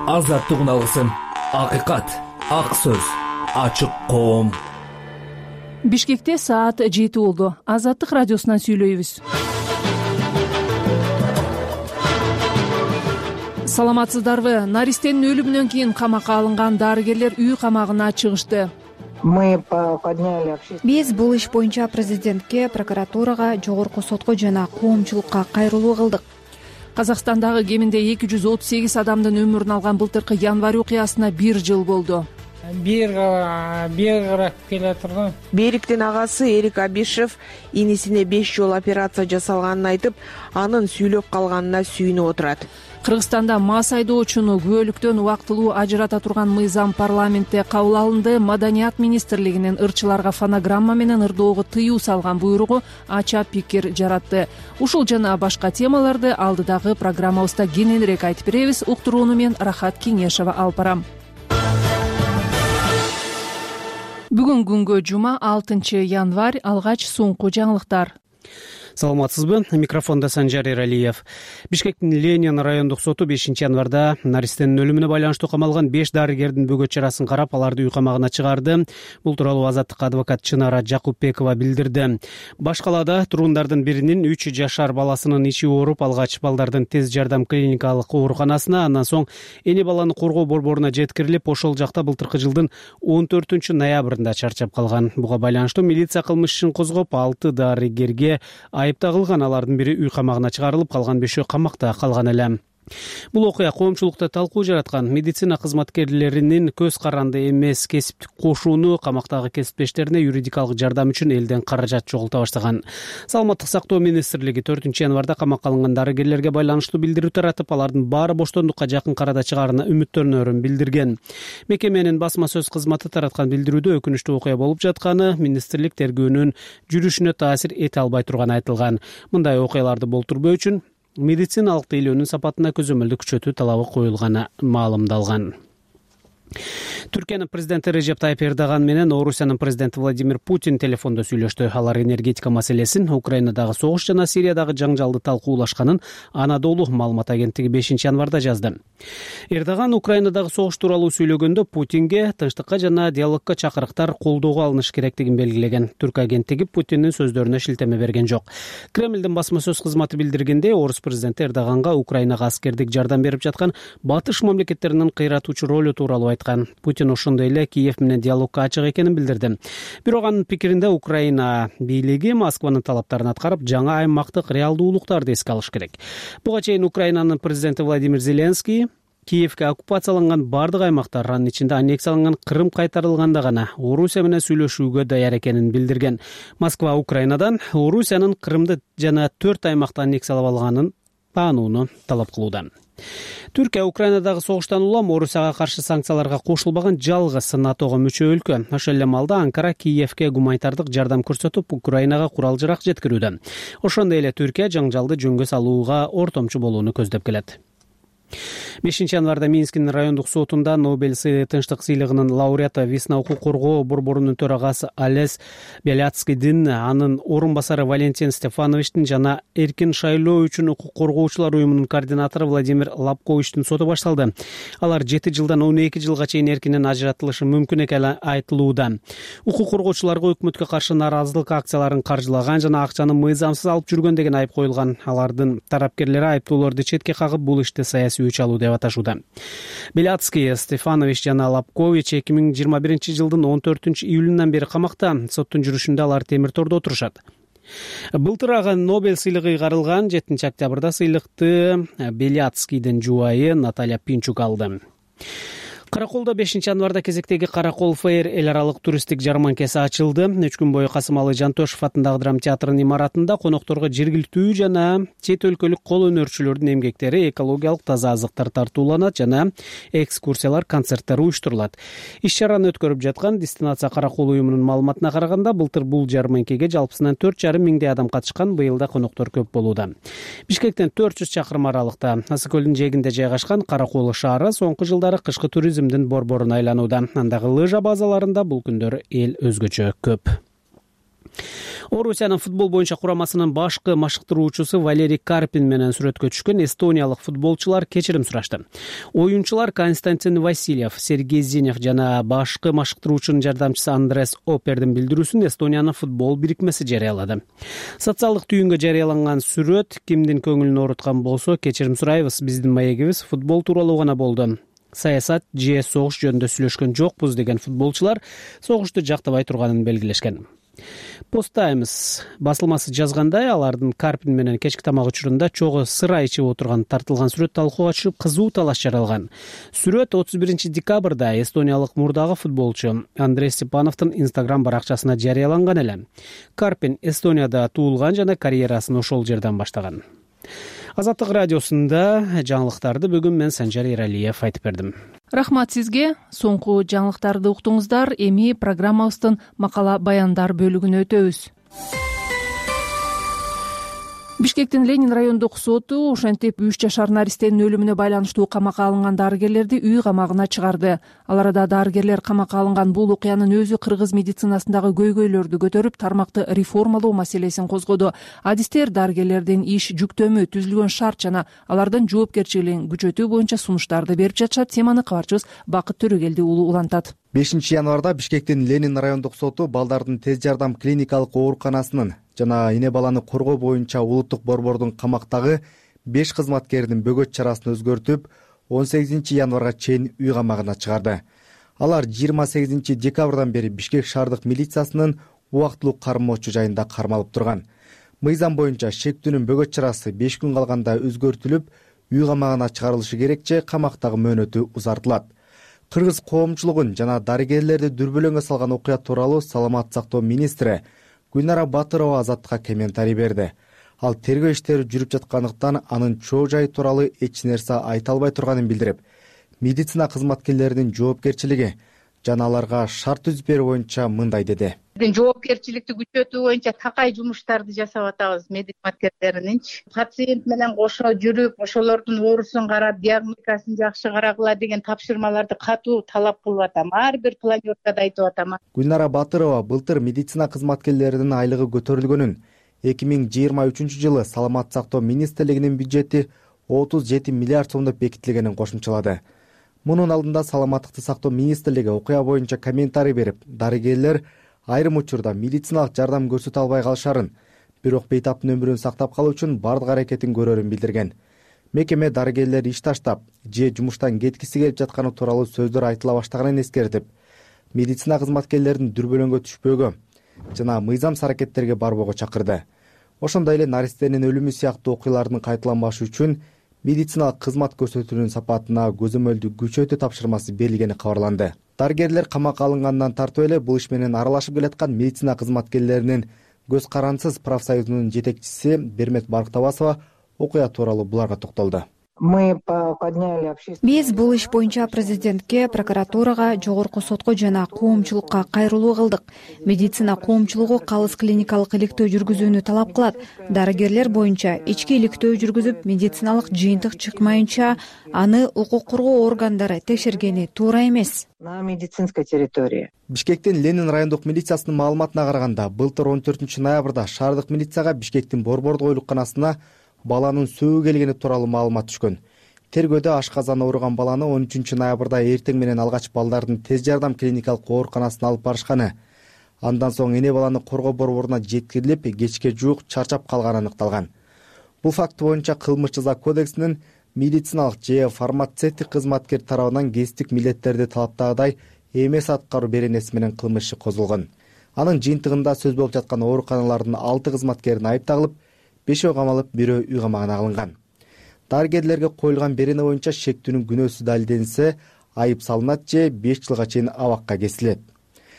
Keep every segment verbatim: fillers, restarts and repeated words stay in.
азаттыгын алгысың. Акыйкат, ак сөз, ачык коом. Бишкекте саат жети болду. Азаттык радиосунан сүйлөйбүз. Саламатсыздарбы? Наристенин өлүмүнөн кийин камакка алынган дарыгерлер үй камагына чыгышты. Биз бул иш боюнча президентке, прокуратурага, жогорку сотко жана коомчулукка кайрылуу кылдык. Казакстандагы кеминде эки жүз отуз сегиз адамдын өмүрүн алган былтыркы январь окуясына бир жыл болду. Бир бир карап келе турган. Бериктин агасы Эрик Абишев инисине беш жолу операция жасалганын айтып, анын сүйлөп калганына сүйүнүп отурат. Кыргызстанда мас айдоочуну күбөлүктөн убактылуу ажырата турган мыйзам парламентте кабыл алынды. Маданият министрлигинин ырчыларга фонограмма менен ырдоого тыюу салган буйругу ача пикир жаратты. Ушул жана башка темаларды алдыдагы программабызда кененирээк айтып беребиз. Уктурууну мен Рахат Кеңешова алып барам. Бүгүн күнгө жума алтынчы январь. Алгач соңку жаңылыктар. Саламатсызбы? Микрофонда Санжар Эралиев. Бишкектин Ленин райондук соту бешинчи январда наристенин өлүмүнө байланыштуу камалган беш дарыгердин бөгөт чарасын карап, аларды үй камагына чыгарды. Бул тууралуу Азаттыкка адвокат Чынара Жакупбекова билдирди. Баш калаада тургундардын биринин үч жашар баласынын ичи ооруп, алгач балдардын тез жардам клиникалык ооруканасына, андан соң эне баланы коргоо борборуна жеткирилип, ошол жакта былтыркы жылдын он төртүнчү ноябрында чарчап калган. Буга байланыштуу милиция кылмыш ишин козгоп, алты дарыгерге айып тагылган. Алардын бири үй камагына чыгарылып, калган бешөө камакта калган эле. Бул окуя коомчулукта талкуу жараткан. Медицина кызматкерлеринин көз каранды эмес кесиптик кошууну, камактагы кесиптештерине юридикалык жардам үчүн элден каражат жоголто баштаган. Саламаттык сактоо министрлиги төртүнчү январда камакка алынган дарыгерлерге байланыштуу билдирүү таратып, алардын баары боштондукка жакын арада чыгаарына үмүттөнөрүн билдирген. Мекеменин басма сөз кызматы тараткан билдирүүдө өкүнүчтүү окуя болуп жатканы, министрлик тергөөнүн жүрүшүнө таасир эте албай турганы айтылган. Мындай окуяларды болтурбоо үчүн медициналык тейлөөнүн сапатына көзөмөлдү күчөтүү талабы коюлганы маалымдалган. Түркиянын президенти Режеп Тайып Эрдоган менен Орусиянын президенти Владимир Путин телефондо сүйлөштү. Алар энергетика маселесин, Украинадагы согуш жана Сириядагы жаңжалды талкуулашканын Анадолу маалымат агенттиги бешинчи январда жазды. Эрдоган Украинадагы согуш тууралуу сүйлөгөндө Путинге тынчтыкка жана диалогко чакырыктар колдоого алыныш керектигин белгилеген. Түрк агенттиги Путиндин сөздөрүнө шилтеме берген жок. Кремлдин басма сөз кызматы билдиргенде, Орус президенти Эрдоганга Украинага аскердик жардам берип жаткан батыш мамлекеттеринин кыйратуучу ролу тууралуу айткан. Путин ошондой эле Киев менен диалогко ачык экенин билдирди. Бирок анын пикиринде Украина бийлиги Москванын талаптарын аткарып, жаңа аймактык реалдуулуктарды эске алыш керек. Буга чейин Украинанын президенти Владимир Зеленский Киевке оккупацияланган бардык аймактар, анын ичинде аннексияланган Крым кайтарылганда гана Орусия менен сүйлөшүүгө даяр экенин билдирген. Москва Украинадан Орусиянын Крымды жана төрт аймакты аннексиялап алганын таанууну талап кылууда. Түркия Украинадагы согуштан улам Орусияга каршы санкцияларга кошулбаган жалгыз НАТОго мүчө өлкө. Ошол эле маалда Анкара Киевке гуманитардык жардам көрсөтүп, Украинага курал-жарак жеткирүүдө. Ошондой эле Түркия жаңжалды жөнгө салууга ортомчу болууну көздөп келет. бешинчи январда Минскинин райондук сотунда Нобель тынчтык сыйлыгынын лауреаты Весна укук коргоо борборунун төрагасы Олесь Беляцкийдин, анын орун басары Валентин Стефановичтин жана эркин шайлоо үчүн укук коргоочулар уюмунун координатору Владимир Лапковичтин соту башталды. Алар жети жылдан он эки жылга чейин эркинен ажыратылышы мүмкүн экени айтылууда. Укук коргоочуларга өкмөткө каршы нааразылык акцияларын каржылаган жана акчаны мыйзамсыз алып жүргөн деген айып коюлган. Алардын тарапкерлери айыптоолорду четке кагып, бул ишти саясий үч алуу деп аташууда. Беляцкий, Стефанович жана Лапкович эки миң жыйырма биринчи жылдын он төртүнчү июлунан бери камакта. Соттун жүрүшүндө алар темир тордо отурушат. Былтыр Нобель сыйлыгы ыйгарылган. жетинчи октябрда сыйлыкты Беляцкийдин жубайы Наталья Пинчук алды. Караколдо бешинчи январда кезектеги Каракол Фейр эл аралык туристтик жарманкеси ачылды. үч күн бою Касымалы Жантөшев атындагы драма театрынын имаратында конокторго жергиликтүү жана чет өлкөлүк кол өнөрчүлөрдүн эмгектери, экологиялык таза азыктар тартууланат жана экскурсиялар, концерттер уюштурулат. Иш-чараны өткөрүп жаткан Дестинация Каракол уюмунун маалыматына караганда, былтыр бул жарманкеге жалпысынан төрт жарым миңдей адам катышкан. Быйылда коноктор көп болууда. Бишкектен төрт жүз чакырым аралыкта Асы көлүнүн жээгинде жайгашкан Каракол шаары соңку жылдары кышкы туризм борборуна айланууда. Андагы лыжа базаларында бул күндөр эл өзгөчө көп. Орусиянын футбол боюнча курамасынын башкы машыктыруучусу Валерий Карпин менен сүрөткө түшкөн эстониялык футболчулар кечирим сурашты. Оюнчулар Константин Васильев, Сергей Зинев жана башкы машыктыруучунун жардамчысы Андрес Опердин билдирүүсүн Эстониянын футбол бирикмеси жарыялады. Социалдык түйүнгө жарыяланган сүрөт кимдин көңүлүн ооруткан болсо кечирим сурайбыз, биздин маегибиз футбол тууралуу гана болду. Саясат же согуш жөнүндө сүйлөшкөн жокпуз деген футболчулар согушту жактабай турганын белгилешкен. Post Times басылмасы жазгандай, алардын Карпин менен кечки тамак учурунда чогуу сыра ичип отурган тартылган сүрөт талкууга түшүп, кызуу талаш жаралган. Сүрөт отуз биринчи декабрда эстониялык мурдагы футболчу Андрей Степановдун Instagram баракчасына жарыяланган эле. Карпин Эстонияда туулган жана карьерасын ошол жерден баштаган. Азаттык радиосунда жаңылыктарды бүгүн мен Санжар Эралиев айтып бердим. Рахмат сизге. Соңку жаңылыктарды уктуңуздар. Эми программабыздын макала баяндар бөлүгүнө өтөбүз. Бишкектин Ленин райондук соту ошентип үч жашар наристенин өлүмүнө байланыштуу камакка алынган дарыгерлерди үй камагына чыгарды. Ал арада дарыгерлер камакка алынган бул окуянын өзү кыргыз медицинасындагы көйгөйлөрдү көтөрүп, тармакты реформалоо маселесин козгоду. Адистер дарыгерлердин иш жүктөмү, түзүлгөн шарт жана алардын жоопкерчилигин күчөтүү боюнча сунуштарды берип жатышат. Теманы кабарчыбыз Бакыт Төрөгелди уулу улантат. бешинчи январда Бишкектин Ленин райондук соту балдардын тез жардам клиникалык ооруканасынын жана эне баланы коргоо боюнча улуттук борбордун камактагы беш кызматкеринин бөгөт чарасын өзгөртүп, он сегизинчи январга чейин үй камагына чыгарды. Алар жыйырма сегизинчи декабрдан бери Бишкек шаардык милициясынын убактылуу кармоочу жайында кармалып турган. Мыйзам боюнча шектүүнүн бөгөт чарасы беш күн калганда өзгөртүлүп, үй камагына чыгарылышы керек же камактагы мөөнөтү узартылат. Кыргыз коомчулугун жана дарыгерлерди дүрбөлөңгө салган окуя тууралуу Саламаттык сактоо министри Гүлнара Батырова Азаттыкка комментарий берди. Ал тергөө иштери жүрүп жаткандыктан анын чоо жайы тууралуу эч нерсе айта албай турганын билдирип, медицина кызматкерлеринин жоопкерчилиги жана аларга шарт түзүп берүү боюнча мындай деди. Жоопкерчиликти күчөтүү боюнча такай жумуштарды жасап атабыз медикаментерининчи. Пациент менен кошо жүрүп, ошолордун оорусун карап, диагностикасын жакшы карагыла деген тапшырмаларды катуу талап кылып атам. Ар бир планёркада айтып атам. Гүлнара Батырова былтыр медицина кызматкерлеринин айлыгы көтөрүлгөнүн, эки миң жыйырма үчүнчү жылы Саламаттык сактоо министрлигинин бюджети отуз жети миллиард сомдоп бекитилгенин кошумчалады. Мунун алдында Саламаттыкты сактоо министрлиги окуя боюнча комментарий берип, дарыгерлер айрым учурда медициналык жардам көрсөтө албай калышарын, бирок бейтаптын өмүрүн сактап калуу үчүн бардык аракетин көрөрүн билдирген. Мекеме дарыгерлер иш таштап же жумуштан кеткиси келип жатканы тууралуу сөздөр айтыла баштаганын эскертип, медицина кызматкерлерин дүрбөлөңгө түшпөөгө жана мыйзамсыз аракеттерге барбоого чакырды. Ошондой эле наристенин өлүмү сыяктуу окуялардын кайталанбашы үчүн медициналык кызмат көрсөтүүнүн сапатына көзөмөлдү күчөтүү тапшырмасы берилгени кабарланды. Дарыгерлер камакка алынгандан тартып эле бул иш менен аралашып келаткан медицина кызматкерлеринин көз карансыз профсоюзунун жетекчиси Бермет Барктабасова окуя тууралуу буларга токтолду. Биз бул иш боюнча президентке, прокуратурага, жогорку сотко жана коомчулукка кайрылуу кылдык. Медицина коомчулугу калыс клиникалык иликтөө жүргүзүүнү талап кылат. Дарыгерлер боюнча ички иликтөө жүргүзүп, медициналык жыйынтык чыкмайынча аны укук коргоо органдары текшергени туура эмес. На медицинской территории. Бишкектин Ленин райондук милициясынын маалыматына караганда, былтыр он төртүнчү ноябрда шаардык милицияга Бишкектин борбордук ооруканасына баланын сөөү келгени тууралуу маалымат түшкөн. Тергөөдө ашказан ооруган баланы он үчүнчү ноябрда эртең менен алгач балдардын тез жардам клиникалык ооруканасына алып барышканы. Андан соң эне баланы коргоо борборуна жеткирилип, кечке жуук чарчап калганы аныкталган. Бул факт боюнча кылмыш жаза кодексинин медициналык же фармацевтик кызматкер тарабынан кесиптик милдеттерди талаптагыдай эмес аткаруу беренеси менен кылмыш иши козголгон. Анын жыйынтыгында сөз болуп жаткан ооруканалардын алты кызматкерин айыпталып, бешөө камалып, бирөө үй камагына алынган. Дарыгерлерге коюлган берене боюнча шектүүнүн күнөөсү далилденсе, айып салынат же беш жылга чейин абакка кесилет.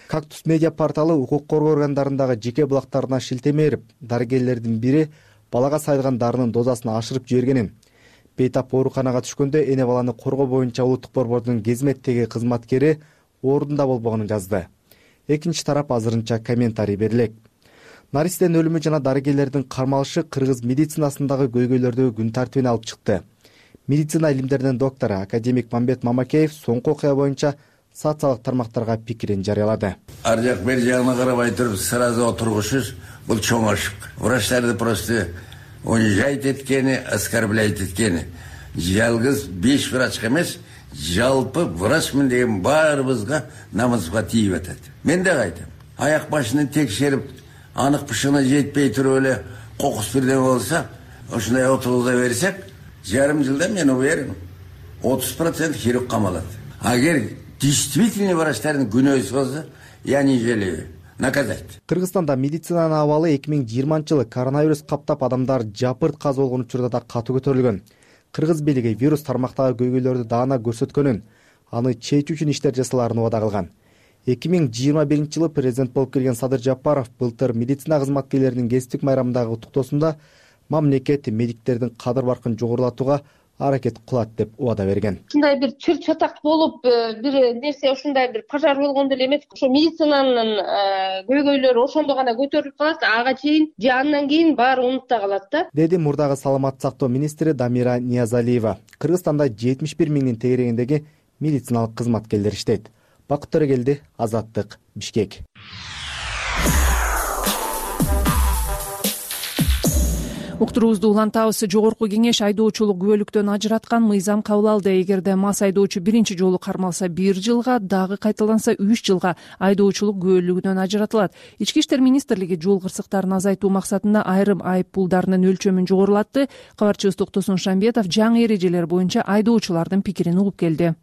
Кактус медиа порталы укук коргоо органдарындагы жеке булактарына шилтеме берип, дарыгерлердин бири балага сайылган дарынын дозасын ашырып жибергенин, бейтап ооруканага түшкөндө эне баланы коргоо боюнча улуттук борбордун кезметтеги кызматкери ордунда болбогонун жазды. Экинчи тарап азырынча комментарий берилет. Наристенин өлүмү жана дарыгерлердин кармалышы кыргыз медицинасындагы көйгөйлөрдү күн тартибине алып чыкты. Медицина илимдеринин доктору академик Мамбет Мамакеев соңку окуя боюнча социалдык тармактарга пикирин жарыялады. Ар жак бери жагына карабай туруп сразу отургушуз бул чоң ошибка. Врачтарды просто унижать эткени, оскорблять эткени. Жалгыз беш врачка эмес, жалпы врачмын деген баарыбызга намазга тийип атат. Мен да айтам, аяк башын текшерип, анык бышыгына жетпей туруп эле кокус бирдеме болсо, ушундай отургуза берсек, жарым жылда мен уверен, отуз процент хирург камалат. Агер действительно врачтардын күнөөсү болсо, я не жалею. Наказать. Кыргызстанда медицинанын абалы эки миң жыйырманчы жылы коронавирус каптап адамдар жапырт каза болгон учурда да катуу көтөрүлгөн. Кыргыз бийлиги вирус тармактагы көйгөйлөрдү даана көрсөткөнүн, аны чечүү үчүн иштер жасаларын убада кылган. эки миң жыйырма биринчи жылы президент болуп келген Садыр Жапаров былтыр медицина кызматкерлеринин кесиптик майрамындагы уктуктоосунда мамлекет медиктердин кадыр баркын жогорулатууга аракет кылат деп убада берген. Ушундай бир чыр чатак болуп, бир нерсе ушундай бир пожар болгондо эле эмес. Ошо медицинанын көйгөйлөрү ошондо гана көтөрүлүп калат, ага чейин же андан кийин баары унутта калат да. Деди мурдагы саламаттык сактоо министри Дамира Ниязалиева. Кыргызстанда жетимиш бир миңдин тегерегиндеги медициналык кызматкерлер иштейт. Бакыт Төрөгелди, Азаттык, Бишкек. Уктуруубузду улантабыз. Жогорку кеңеш айдоочулук күбөлүктөн ажыраткан мыйзам кабыл алды. Эгерде мас айдоочу биринчи жолу кармалса бир жылга, дагы кайталанса үч жылга айдоочулук күбөлүгүнөн ажыратылат. Ички иштер министрлиги жол кырсыктарын азайтуу максатында айрым айып пулдарынын өлчөмүн жогорулатты. Кабарчыбыз Токтосун Шамбетов жаңы эрежелер боюнча айдоочулардын пикирин угуп келди.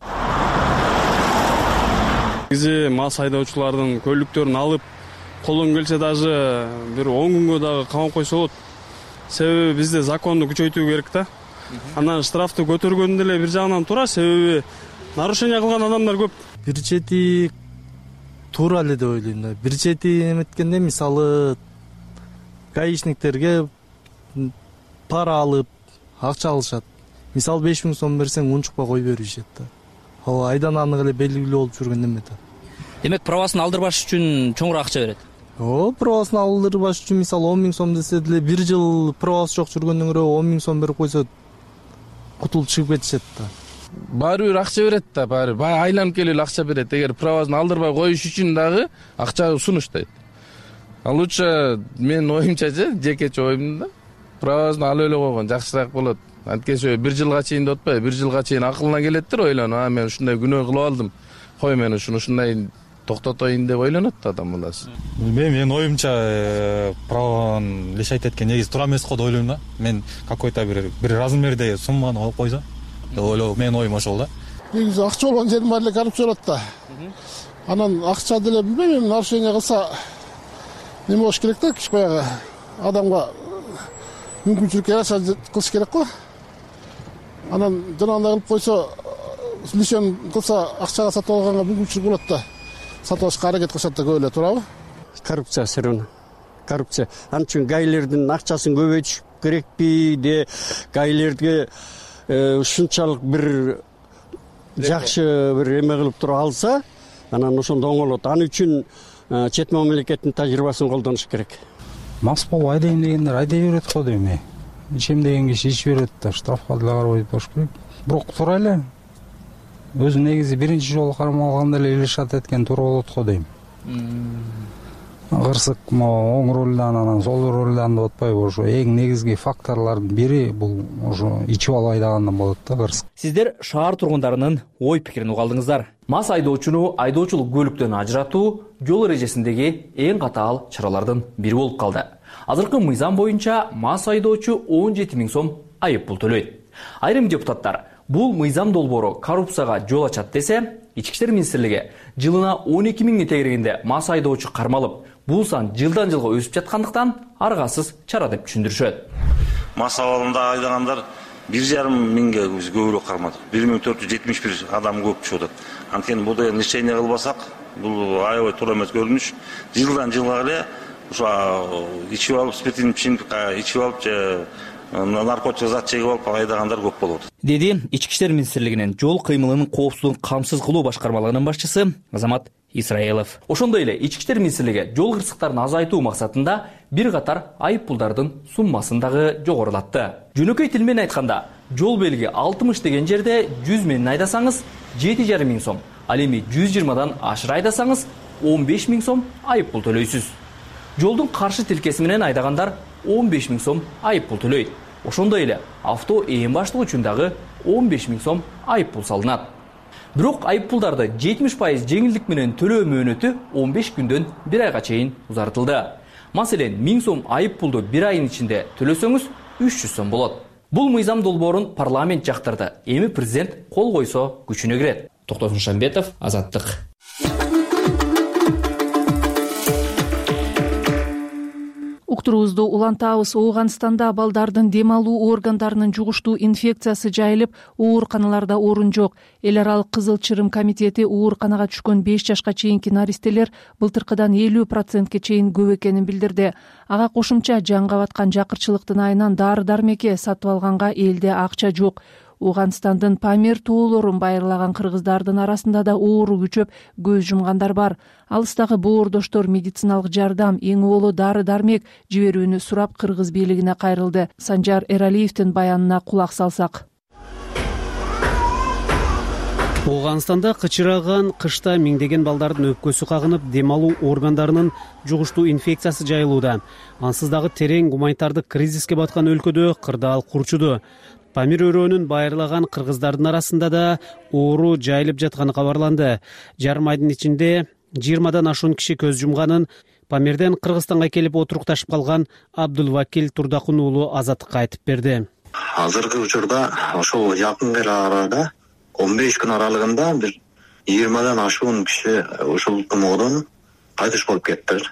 Негизи мас айдоочулардын көлүктөрүн алып, колдон келсе даже бир он күнгө дагы камап койсо болот. Себеби бизде законду күчөйтүү керек да. Анан штрафты көтөргөндө эле бир жагынан туура, себеби нарушение кылган адамдар көп. Бир чети туура эле деп ойлойм да. Бир чети эметкенде мисалы гаишниктерге пара алып, акча алышат. Мисалы беш миң сом берсең унчукпай кой беришет да. Ал айдан анык эле белгилүү болуп жүргөн эме да. Демек правасын алдырбаш үчүн чоңураак акча берет. О, правасын алдырбаш үчүн мисалы он миң сом десе деле бир жыл правасы жок жүргөндөн көрө он миң сом берип койсо кутулуп чыгып кетишет да. Баары бир акча берет да, баары баары айланып келип акча берет. Эгер правасын алдырбай коюш үчүн дагы акча сунуштайт. Ал лучше мен оюмча же, жекече оюм да, правасын алып эле койгон жакшыраак болот. Анткени бир жылга чейин деп атпайбы, бир жылга чейин акылына келеттир ойлонуп, а мен ушундай күнөө кылып алдым. Кой мен ушуну ушундай токтотоюн деп ойлонот да адам баласы. Мен мен оюмча праваны лишать эткен негизи туура эмес го деп ойлойм да. Мен какой-то бир бир размерде сумманы коюп койсо деп ойлойм. Менин оюм ошол да. Негизи акча болгон жердин баары эле коррупция болот да. Анан акча деле билбейм, нарушение кылса неме болуш керек да, киш баягы адамга мүмкүнчүлүккө жараша кылыш керек го. Анан жанагындай кылып койсо, лишен кылса акчага сатып алганга мүмкүнчүлүк болот да. Сатып алышка аракет кылышат да, көп эле, туурабы? Коррупция сырын. Коррупция. Анын үчүн гаилердин акчасын көбөйтүш керекпи, де гаилерге ушунчалык бир жакшы бир эме кылып туруп алса, анан ошондо оңолот. Аны үчүн чет мамлекеттин тажрыйбасын колдонуш керек. Мас болуп айдайм дегендер айдай берет го дейм. Ичем деген киши ичип берет да, штрафка деле карабай туруш керек. Бирок туура эле. Өзү негизи биринчи жолу кармалганда эле илишат эткен туура болот го дейм. Кырсык могу оң ролдан анан сол ролдан деп атпайбы, ошо эң негизги факторлордун бири бул ошо ичип алып айдагандан болот да кырсык. Сиздер шаар тургундарынын ой пикирин уга алдыңыздар. Мас айдоочуну айдоочулук көлүктөн ажыратуу жол эрежесиндеги эң катаал чаралардын бири болуп калды. Азыркы мыйзам боюнча мас айдоочу он жети миң сом айып пул төлөйт. Айрым депутаттар бул мыйзам долбоору коррупцияга жол ачат десе, Ички иштер министрлиги жылына он эки миңдин тегерегинде мас айдоочу кармалып, бул сан жылдан жылга өсүп жаткандыктан аргасыз чара деп түшүндүрүшөт. Мас абалында айдагандар бир жарым миңге көбүрөөк кармадык. бир миң төрт жүз жетимиш бир адам көп чыгып атат. Анткени бул деген лечение кылбасак, бул аябай туура эмес көрүнүш. Жылдан жылга эле ошо ичип алып, спиртин ичимдик ичип алып же наркотик зат чегип алып айдагандар көп болот. Деди Ички иштер министрлигинин жол кыймылынын коопсуздугун камсыз кылуу башкармалыгынын башчысы Азамат Исраилов. Ошондой эле Ички иштер министрлиги жол кырсыктарын азайтуу максатында бир катар айып пулдардын суммасын дагы жогорулатты. Жөнөкөй тил менен айтканда, жол белги алтымыш деген жерде жүз менен айдасаңыз жети жарым миң сом, Ал эми жүз жыйырмадан ашыра айдасаңыз он беш миң сом айып пул төлөйсүз. Жолдун каршы тилкеси менен айдагандар он беш миң сом айып пул төлөйт. Ошондой эле авто ээн баштыгы үчүн дагы он беш миң сом айып пул салынат. Бирок айып пулдарды жетимиш пайыз жеңилдик менен төлөө мөөнөтү он беш күндөн бир айга чейин узартылды. Маселен, миң сом айып пулду бир айдын ичинде төлөсөңүз үч жүз сом болот. Бул мыйзам долбоорун парламент жактырды. Эми президент кол койсо күчүнө кирет. Токтосун Шамбетов, Азаттык. Уктуруубузду улантабыз. Ооганстанда балдардын дем алуу органдарынын жугуштуу инфекциясы жайылып, ооруканаларда орун жок. Эл аралык Кызыл Чырым комитети ооруканага түшкөн беш жашка чейинки наристелер былтыркыдан элүү процентке чейин көп экенин билдирди. Ага кошумча жанга баткан жакырчылыктын айынан дары дармекке сатып алганга элде акча жок. Ооганстандын Памир тоолорун байырлаган кыргыздардын арасында да оору күчөп көз жумгандар бар. Алыстагы боордоштор медициналык жардам, эң боло дары дармек жиберүүнү сурап кыргыз бийлигине кайрылды. Санжар Эралиевдин баянына кулак салсак. Ооганстанда кычыраган кышта миңдеген балдардын өпкөсү кагынып, дем алуу органдарынын жугуштуу инфекциясы жайылууда. Ансыз дагы терең гуманитардык кризиске баткан өлкөдө кырдаал курчуду. Памир өрөөнүн байырлаган кыргыздардын арасында да оору жайылып жатканы кабарланды. Жарым айдын ичинде жыйырмадан ашуун киши көз жумганын Памирден Кыргызстанга келип отурукташып калган Абдулвакил Турдакун уулу Азаттыкка айтып берди. Азыркы учурда ошол жакын арада он беш күн аралыгында бир жыйырмадан ашуун киши ушул тумоодон кайтыш болуп кетти.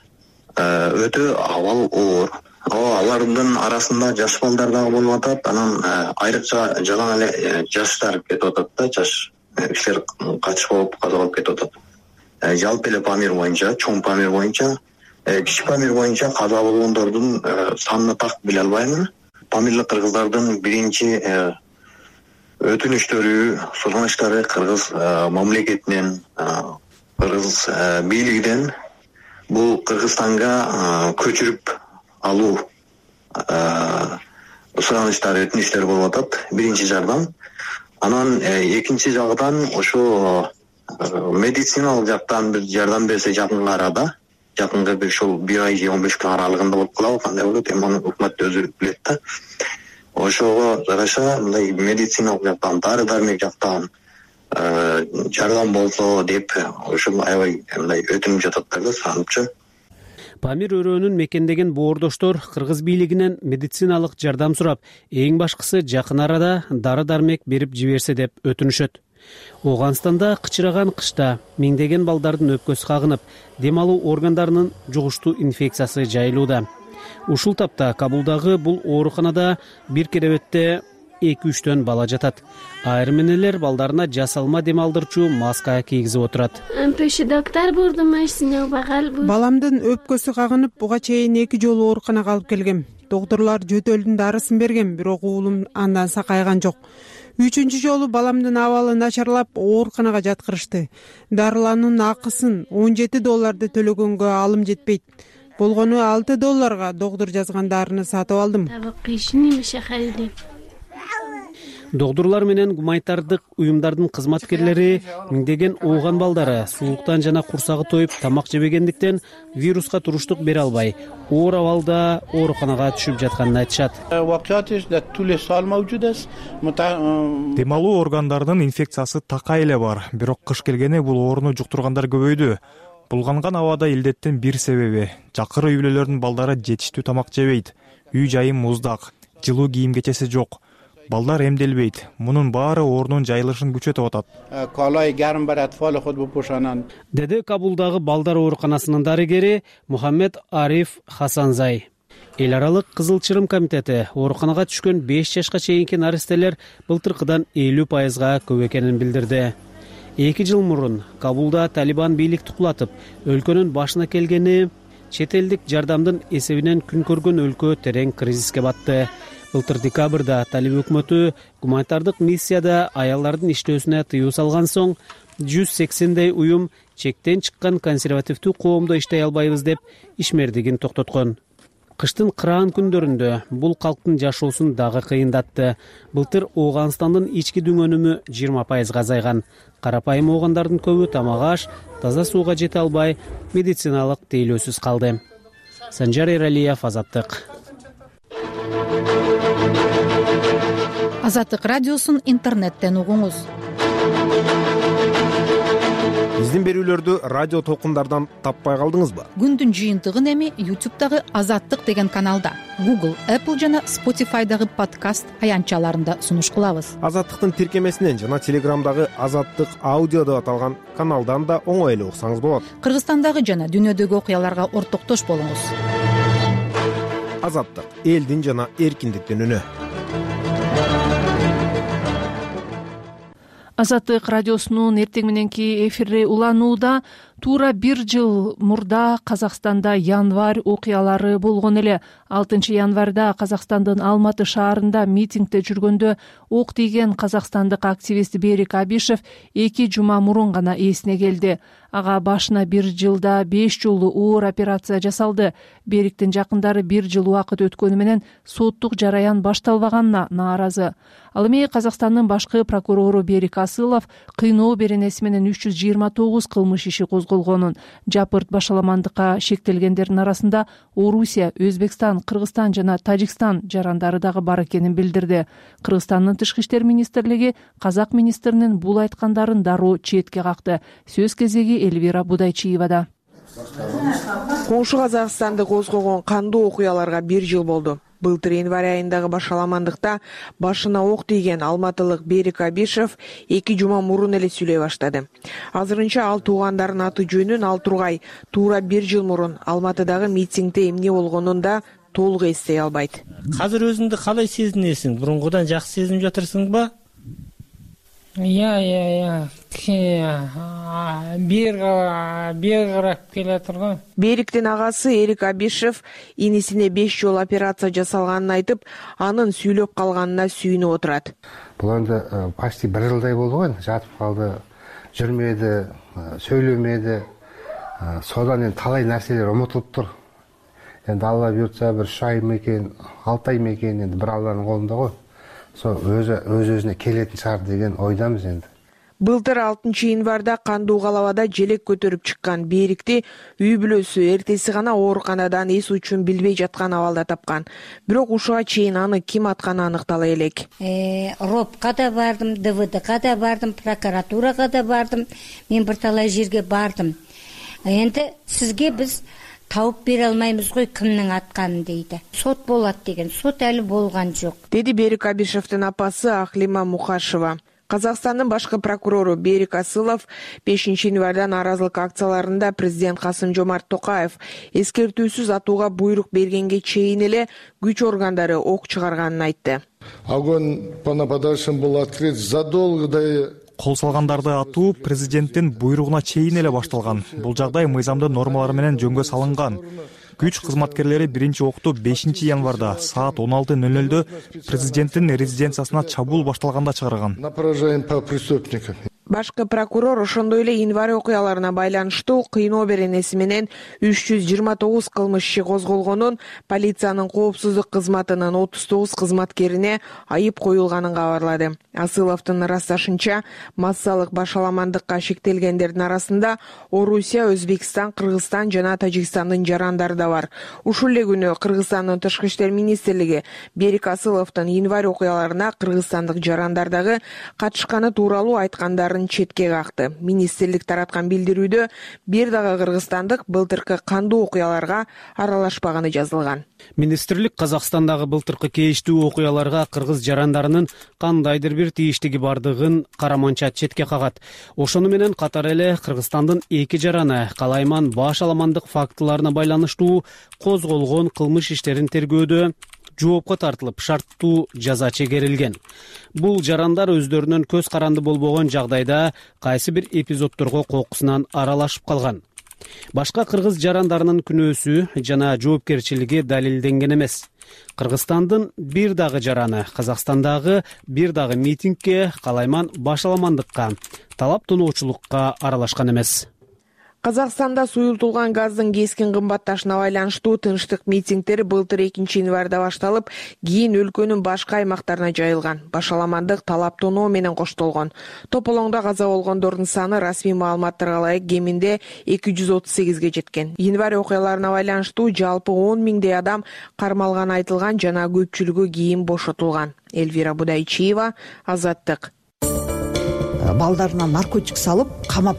Өтө абал оор. Алардын арасында жаш балдар дагы болуп атат. Анан айрыкча жалаң эле жаштар кетип атат да, жаш кишилер катыш болуп каза болуп кетип атат. Жалпы эле Памир боюнча, чоң Памир боюнча, кичи Памир боюнча каза болгондордун санын так биле албаймын. Памирлик кыргыздардын биринчи өтүнүштөрү, суранычтары кыргыз мамлекетинен, кыргыз бийлигинен бул Кыргызстанга көчүрүп алуу суранычтары, өтүнүчтөр болуп атат. Биринчи жардам. Анан экинчи жагдан ошо медициналык жактан бир жардам берсе жакын арада, жакынкы бир ушул бир ай же он беш күн аралыгында болуп калабы, кандай болот, эми аны өкмөт өзү билет да. Ошого жараша мындай медициналык жактан, дары дармек жактан жардам болсо деп ушул аябай мындай өтүнүп жататтар да, санычы. Памир өрөөнүн мекендеген боордоштор кыргыз бийлигинен медициналык жардам сурап, эң башкысы жакын арада дары дармек берип жиберсе деп өтүнүшөт. Ооганстанда кычыраган кышта миңдеген балдардын өпкөсү кагынып, дем алуу органдарынын жугуштуу инфекциясы жайылууда. Ушул тапта Кабулдагы бул ооруканада бир керебетте эки үчтөн бала жатат. Айрым энелер балдарына жасалма дем алдырчу маска кийгизип отурат. Баламдын өпкөсү кагынып, буга чейин эки жолу ооруканага алып келгем. Доктурлар жөтөлдүн дарысын берген, бирок уулум андан сакайган жок. Үчүнчү жолу баламдын абалы начарлап, ооруканага жаткырышты. Дарылануунун акысын он жети долларды төлөгөнгө алым жетпейт. Болгону алты долларга доктур жазган дарыны сатып алдым. Доктурлар менен гуманитардык уюмдардын кызматкерлери миңдеген ооган балдары суулуктан жана курсагы тоюп тамак жебегендиктен вируска туруштук бере албай, оор абалда ооруканага түшүп жатканын айтышат. Дем алуу органдарынын инфекциясы такай эле бар, бирок кыш келгени бул ооруну жуктургандар көбөйдү. Булганган абада илдеттин бир себеби жакыр үй бүлөлөрдүн балдары жетиштүү тамак жебейт, үй жайы муздак, жылуу кийим кечеси жок. Балдар эмделбейт. Мунун баары оорунун жайылышын күчөтүп атат. Деди Кабулдагы балдар ооруканасынын дарыгери Мухаммед Ариф Хасанзай. Эл аралык Кызыл Чырым комитети ооруканага түшкөн беш жашка чейинки наристелер былтыркыдан элүү пайызга көп экенин билдирди. Эки жыл мурун Кабулда Талибан бийликти кулатып, өлкөнүн башына келгени чет элдик жардамдын эсебинен күн көргөн өлкө терең кризиске батты. Былтыр декабрда Талиб өкмөтү гуманитардык миссияда аялдардын иштөөсүнө тыюу салган соң жүз сексендей уюм чектен чыккан консервативдүү коомдо иштей албайбыз деп ишмердигин токтоткон. Кыштын кыраан күндөрүндө бул калктын жашоосун дагы кыйындатты. Былтыр Ооганстандын ички дүңөнүмү жыйырма пайызга азайган. Карапайым оогандардын көбү тамак аш, таза сууга жете албай, медициналык тейлөөсүз калды. Санжар Эралиев, Азаттык. Азаттык радиосун интернеттен угуңуз. Биздин берүүлөрдү радио толкундардан таппай калдыңызбы? Күндүн жыйынтыгын эми ютубтагы Азаттык деген каналда, Google, Apple жана Spotify'дагы подкаст аянтчаларында сунуш кылабыз. Азаттыктын тиркемесинен жана Телеграмдагы Азаттык аудио деп аталган каналдан да оңой эле уксаңыз болот. Кыргызстандагы жана дүйнөдөгү окуяларга ортоктош болуңуз. Азаттык — элдин жана эркиндиктин үнү. Азаттык радиосунун эртең мененки эфири уланууда. Туура бир жыл мурда Казакстанда январь окуялары болгон эле. алтынчы январда Казакстандын Алматы шаарында митингде жүргөндө ок тийген казакстандык активист Берик Абишев эки жума мурун гана эсине келди. Ага башына бир жылда беш жолу оор операция жасалды. Бериктин жакындары бир жыл убакыт өткөнү менен соттук жараян башталбаганына нааразы. Ал эми Казакстандын башкы прокурору Берик Асылов кыйноо беренеси менен үч жүз жыйырма тогуз кылмыш иши козголгонун, жапырт башаламандыкка шектелгендердин арасында Орусия, Өзбекстан, Кыргызстан жана Тажикстан жарандары дагы бар экенин билдирди. Кыргызстандын тышкы иштер министрлиги казак министринин бул айткандарын дароо четке какты. Сөз кезеги Эльвира Будайчиевада. Коңшу Казакстанды козгогон кандуу окуяларга бир жыл болду. Былтыр январь айындагы башаламандыкта башына ок тийген алматылык Берик Абишев эки жума мурун эле сүйлөй баштады. Азырынча ал туугандарынын аты жөнүн ал тургай туура бир жыл мурун Алматыдагы митингде эмне болгонун да толук эстей албайт. Азыр өзүңдү калай сезинесиң? Бурунгудан жакшы сезинип жатырсыңбы? Я, я, я. Бир бир карап келатыр го. Бериктин агасы Эрик Абишев инисине беш жолу операция жасалганын айтып, анын сүйлөп калганына сүйүнүп отурат. Бул энди почти бир жылдай болду го, жатып калды, жүрмөдү, сүйлөмөдү. Содан энди талай нерселер унутулуптур. Энди Алла буйртса бир үч ай мекен, алты ай мекен, энди бир Алланын колунда го. Өзі өзіне келетін шығар деген ойдамыз енді. Былтыр алтынчы январда кандуу калабада желек көтөрүп чыккан Берикти үй бүлөсү эртеси гана ооруканадан эс учун билбей жаткан абалда тапкан. Бирок ушуга чейин аны ким атканы аныктала элек. Ропка да бардым, ДВДга да бардым, прокуратурага да бардым. Мен бир талай жерге бардым. Энди сизге биз тауып бере алмаймыз ғой кимнин атканын дейди. Сот болот деген, сот әлі болган жок. Деди Берик Абишевдин апасы Ахлима Мухашева. Казакстандын башкы прокурору Берик Асылов бешинчи январда нааразылык акцияларында президент Касым-Жомарт Токаев эскертүүсүз атууга буйрук бергенге чейин эле күч органдары ок чыгарганын айтты. Огонь по нападавшим был открыт задолго до Кол салгандарды атуу президенттин буйругуна чейин эле башталган. Бул жагдай мыйзамдын нормалары менен жөнгө салынган. Күч кызматкерлери биринчи окту бешинчи январда саат он алты ноль нольдө президенттин резиденциясына чабуул башталганда чыгарган. На поражение по преступникам. Башкы прокурор ошондой эле январь окуяларына байланыштуу кыйноо беренеси менен үч жүз жыйырма тогуз кылмыш иши козголгонун, полициянын коопсуздук кызматынын отуз тогуз кызматкерине айып коюлганын кабарлады. Асыловдун ырасташынча, массалык башаламандыкка шектелгендердин арасында Орусия, Өзбекстан, Кыргызстан жана Тажикстандын жарандары да бар. Ушул эле күнү Кыргызстандын тышкы иштер министрлиги Берик Асыловдун январь окуяларына кыргызстандык жарандар дагы катышканы тууралуу айткандарын четке какты. Министрлик тараткан билдирүүдө бир дагы кыргызстандык былтыркы кандуу окуяларга аралашпаганы жазылган. Министрлик Казакстандагы былтыркы кейиштүү окуяларга кыргыз жарандарынын кандайдыр бир тийиштиги бардыгын караманча четке кагат. Ошону менен катар эле Кыргызстандын эки жараны калайман башаламандык фактыларына байланыштуу козголгон кылмыш иштерин тергөөдө жоопко тартылып, шарттуу жаза чегерилген. Бул жарандар өздөрүнөн көз каранды болбогон жагдайда кайсы бир эпизоддорго кокусунан аралашып калган. Башка кыргыз жарандарынын күнөөсү жана жоопкерчилиги далилденген эмес. Кыргызстандын бир дагы жараны Казакстандагы бир дагы митингге калайман башаламандыкка, талап тоноочулукка аралашкан эмес. Казакстанда суюлтулган газдын кескин кымбатташына байланыштуу тынчтык митингдер былтыр экинчи январда башталып, кийин өлкөнүн башка аймактарына жайылган. Башаламандык талаптоноо менен коштолгон. Тополоңдо каза болгондордун саны расмий маалыматтарга ылайык кеминде эки жүз отуз сегизге жеткен. Январь окуяларына байланыштуу жалпы он миңдей адам кармалганы айтылган жана көпчүлүгү кийин бошотулган. Элвира Будайчиева, Азаттык. Балдарына наркотик салып, камап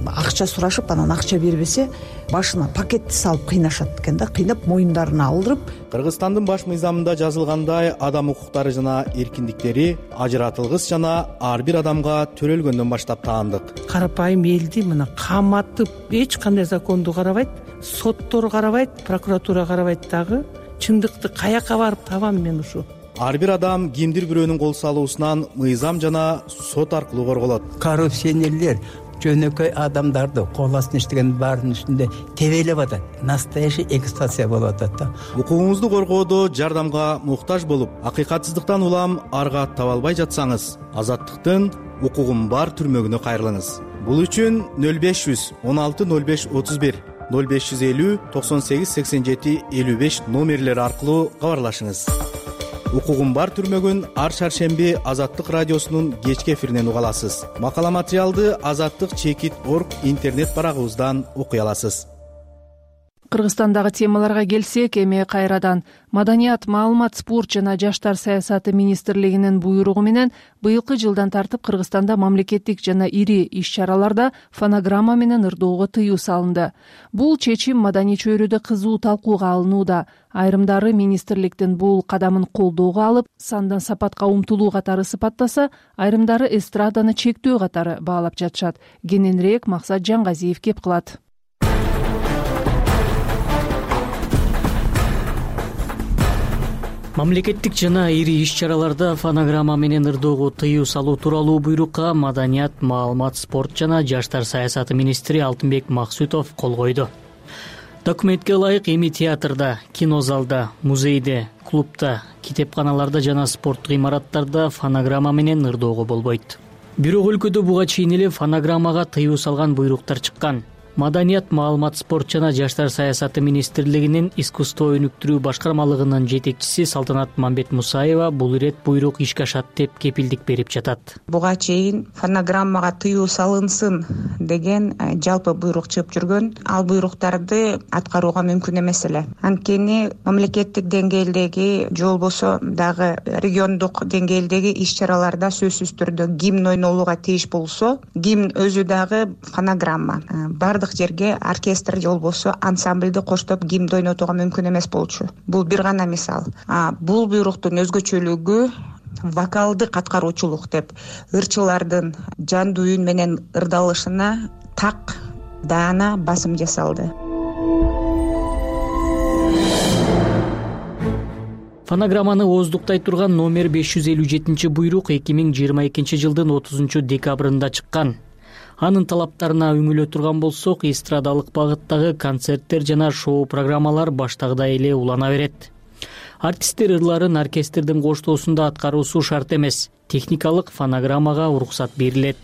акча сурашып, анан акча бербесе, башына пакетти салып кыйнашат экен да, кыйнап моюндарына алдырып. Кыргызстандын баш мыйзамында жазылгандай, адам укуктары жана эркиндиктери ажыратылгыс жана ар бир адамга төрөлгөндөн баштап таандык. Карапайым элди мына каматып, эч кандай законду карабайт, соттор карабайт, прокуратура карабайт дагы. Чындыкты каяка барып табам мен ушу? Ар бир адам кимдир бирөөнүн кол салуусунан мыйзам жана сот аркылуу корголот. Коррупционерлер жөнөкөй адамдарды кол астына иштеген баарынын үстүндө тебелеп атат. Настоящий эксплуатация болуп атат да. Укугуңузду коргоодо жардамга муктаж болуп, акыйкатсыздыктан улам арга таба албай жатсаңыз, Азаттыктын укугум бар түрмөгүнө кайрылыңыз. Бул үчүн нөл беш жүз он алты нөл беш отуз бир, нөл беш жүз элүү токсон сегиз сексен жети элүү беш номерлери аркылуу кабарлашыңыз. Укугум бар түрмөгүн ар шаршемби Азаттык радиосунун кечки эфиринен уга аласыз. Макала материалды азаттык чекит точка орг интернет барагыбыздан окуй аласыз. Кыргызстандагы темаларга келсек, эми кайрадан Маданият, маалымат, спорт жана жаштар саясаты министрлигинин буйругу менен быйылкы жылдан тартып Кыргызстанда мамлекеттик жана ири иш-чараларда фонограмма менен ырдоого тыюу салынды. Бул чечим маданий чөйрөдө кызуу талкууга алынууда. Айрымдары министрликтин бул кадамын колдоого алып, сандан сапатка умтулуу катары сыпаттаса, айрымдары эстраданы чектөө катары баалап жатышат. Кененирээк Максат Жангазиев кеп кылат. Мамлекеттик жана ири иш-чараларда фонограмма менен ырдоого тыюу салуу тууралуу буйрукка Маданият, маалымат, спорт жана жаштар саясаты министри Алтынбек Максутов кол койду. Документке ылайык эми театрда, кинозалда, музейде, клубда, китепканаларда жана спорттук имараттарда фонограмма менен ырдоого болбойт. Бирок өлкөдө буга чейин эле фонограммага тыюу салган буйруктар чыккан. Маданият, маалымат, спорт жана жаштар саясаты министрлигинин искусство өнүктүрүү башкармалыгынын жетекчиси Салтанат Мамбет Мусаева бул ирет буйрук ишке ашат деп кепилдик берип жатат. Буга чейин фонограммага тыюу салынсын деген жалпы буйрук чыгып жүргөн. Ал буйруктарды аткарууга мүмкүн эмес эле. Анткени мамлекеттик деңгээлдеги же болбосо дагы региондук деңгээлдеги иш-чараларда сөзсүз түрдө гимн ойнолууга тийиш болсо, гимн өзү дагы фонограмма. Бардык жерге оркестр же болбосо ансамбльди коштоп гимн ойнотууга мүмкүн эмес болчу. Бул бир гана мисал. А бул буйруктун өзгөчөлүгү вокалдык аткаруучулук деп ырчылардын жандуу үн менен ырдалышына так даана басым жасалды. Фонограмманы ооздуктай турган номер беш жүз элүү жетинчи буйрук эки миң жыйырма экинчи жылдын отузунчу декабрында чыккан. Анын талаптарына үңүлө турган болсок, эстрадалык багыттагы концерттер жана шоу программалар баштагыдай эле улана берет. Артисттер ырларын оркестрдин коштоосунда аткаруусу шарт эмес. Техникалык фонограммага уруксат берилет.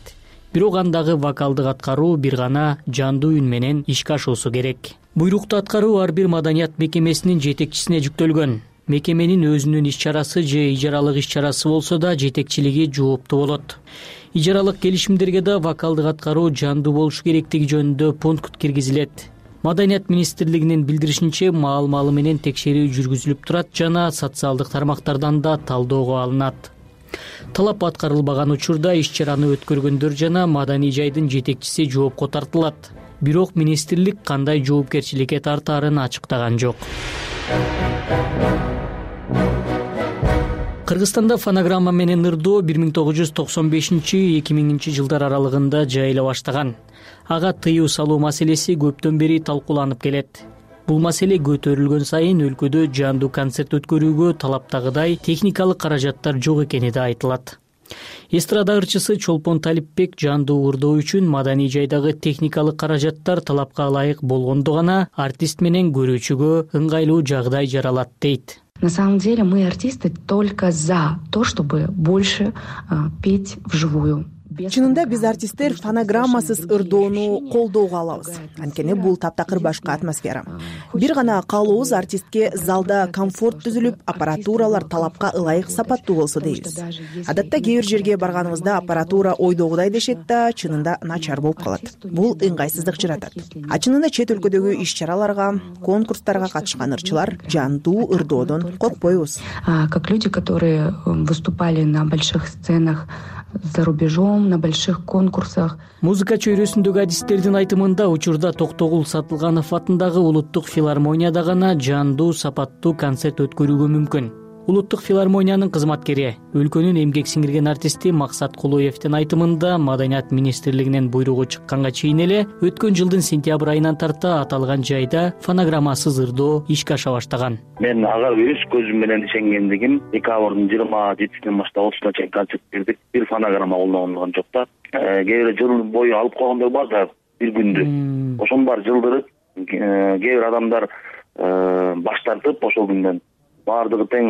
Бирок андагы вокалдык аткаруу бир гана жандуу үн менен ишке ашуусу керек. Буйрукту аткаруу ар бир маданият мекемесинин жетекчисине жүктөлгөн. Мекеменин өзүнүн иш-чарасы же ижаралык иш-чарасы болсо да жетекчилиги жооптуу болот. Ижаралык келишимдерге да вокалдык аткаруу жандуу болушу керектиги жөнүндө пункт киргизилет. Маданият министрлигинин билдиришинче, маал-маалы менен текшерүү жүргүзүлүп турат жана социалдык тармактардан да талоого алынат. Талап аткарылбаган учурда иш-чараны өткөргөндөр жана маданий жайдын жетекчиси жоопко тартылат. Бирок министрлик кандай жоопкерчиликке тартаарын ачыктаган жок. Кыргызстанда фонограмма менен ырдоо бир миң тогуз жүз токсон бешинчи — эки миңинчи жылдар аралыгында жайыла баштаган. Ага тыюу салуу маселеси көптөн бери талкууланып келет. Бул маселе көтөрүлгөн сайын өлкөдө жандуу концерт өткөрүүгө талаптагыдай техникалык каражаттар жок экени да айтылат. Эстрада ырчысы Чолпон Талипбек жандуу ырдоо үчүн маданий жайдагы техникалык каражаттар талапка ылайык болгондо гана артист менен көрүүчүгө ыңгайлуу жагдай жаралат дейт. На самом деле мы, артисты, только за то, чтобы больше а, петь вживую. чынында биз артисттер фонограммасыз ырдоону колдоого алабыз, анткени бул таптакыр башка атмосфера. Бир гана каалообуз артистке залда комфорт түзүлүп, аппаратуралар талапка ылайык сапаттуу болсо дейбиз. Адатта кээ бир жерге барганыбызда аппаратура ойдогудай дешет да, чынында начар болуп калат. Бул ыңгайсыздык жаратат. А чынында чет өлкөдөгү иш-чараларга, конкурстарга катышкан ырчылар жандуу ырдоодон коркпойбуз. Как люди, которые выступали на больших сценах за рубежом, на больших конкурсах. Музыка чөйрөсүндөгү адистердин айтымында учурда Токтогул Сатылганов атындагы Улуттук филармонияда гана жандуу сапаттуу концерт өткөрүүгө мүмкүн. Улуттук филармониянын кызматкери, өлкөнүн эмгек сиңирген артисти Максат Кулуевдин айтымында Маданият министрлигинин буйругу чыкканга чейин эле өткөн жылдын сентябрь айынан тарта аталган жайда фонограммасыз ырдоо ишке аша баштаган. Мен ага өз көзүм менен ишенгендигим, декабрдын жыйырма жетисинен баштап отузуна чейин концерт бердик. Бир фонограмма колдонулган жок да. Кээ бир жыл бою алып койгондор бар да, бир күндү. Ошонун баары жылдырып, кээ бир адамдар баш тартып ошол күндөн баардыгы тең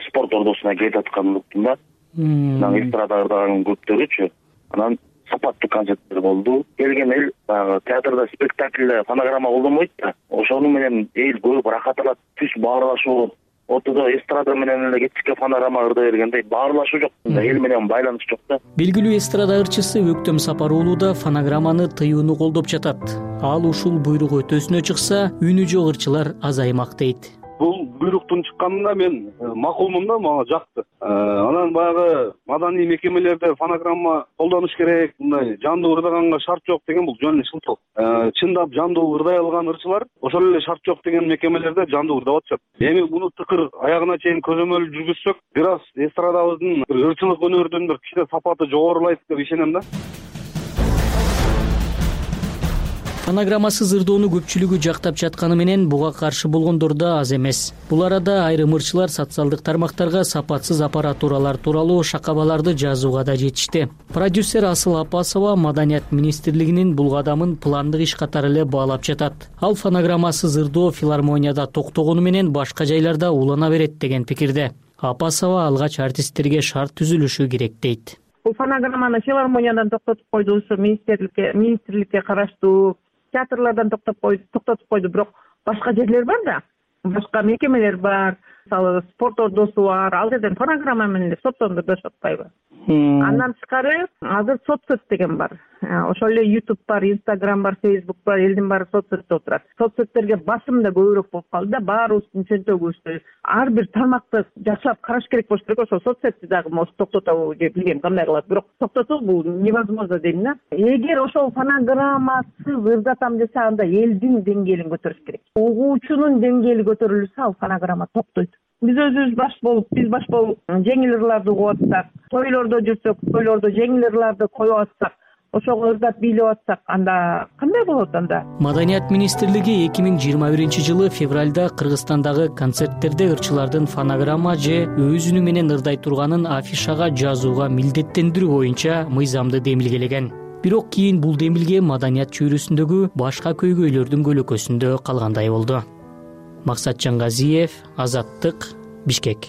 спорт ордосуна кетип атканын уктум да. Анан эстрада ырдаган көптөрүчү. Анан сапаттуу концерттер болду. Келген эл баягы театрда спектакльде фонограмма колдонбойт да. Ошону менен эл көп рахат алат, түз баарлашуу болот. Ортодо эстрада менен эле кечке фонограмма ырдай бергенде баарлашуу жок. Эл менен байланыш жок да. Белгилүү эстрада ырчысы Өктөм Сапар уулу да фонограмманы тыюуну колдоп жатат. Ал ушул буйрук өтөсүнө чыкса, үнү жок ырчылар азаймак дейт. Бул буйруктун чыкканына мен макулмун да, мага жакты. Анан баягы маданий мекемелерде фонограмма колдонуш керек, мындай жандуу ырдаганга шарт жок деген бул жөн эле шылтоо. Чындап жандуу ырдай алган ырчылар ошол эле шарт жок деген мекемелерде жандуу ырдап атышат. Эми муну тыкыр аягына чейин көзөмөл жүргүзсөк, бир аз эстрадабыздын ырчылык өнөрдүн бир кичине сапаты жогорулайт деп ишенем да. Фонограммасыз ырдоону көпчүлүгү жактап жатканы менен буга каршы болгондор да аз эмес. Бул арада айрым ырчылар социалдык тармактарга сапатсыз аппаратуралар тууралуу шакабаларды жазууга да жетишти. Продюсер Асыл Апасова Маданият министрлигинин бул кадамын пландык иш катары эле баалап жатат. Ал фонограммасыз ырдоо филармонияда токтогону менен башка жайларда улана берет деген пикирде. Апасова алгач артисттерге шарт түзүлүшү керек дейт. Бул фонограмманы филармониядан токтотуп койду, ушу министрликке министрликке караштуу театрлардан токтоп койду, токтотуп койду, бирок башка жерлер бар да, башка мекемелер бар, мисалы спорт ордосу бар, ал жерден фонограмма менен соттонду беришип атпайбы? Андан тышкары азыр соцсет деген бар. Ошол эле YouTube бар, Instagram бар, Facebook бар, элдин баары соцсетте отурат. Соцсеттерге басым да көбүрөөк болуп калды да, баарыбыздын чөнтөгүбүздө ар бир тармакты жакшылап караш керек болуш керек. Ошол соцсетти дагы может токтотобу же билбейм кандай кылат, бирок токтотуу бул невозможно дейм да. Эгер ошол фонограммасыз ырдатам десе, анда элдин деңгээлин көтөрүш керек. Угуучунун деңгээли көтөрүлсө, ал фонограмма токтойт. Биз өзүбүз баш болуп, биз баш болуп жеңил ырларды угуп атсак, тойлордо жүрсөк, тойлордо жеңил ырларды коюп атсак, ошого ырдап бийлеп атсак, анда кандай болот анда? Маданият министрлиги эки миң жыйырма биринчи жылы февралда Кыргызстандагы концерттерде ырчылардын фонограмма же өз үнү менен ырдай турганын афишага жазууга милдеттендирүү боюнча мыйзамды демилгелеген. Бирок кийин бул демилге маданият чөйрөсүндөгү башка көйгөйлөрдүн көлөкөсүндө калгандай болду. Максат Жангазиев, Азаттык, Бишкек.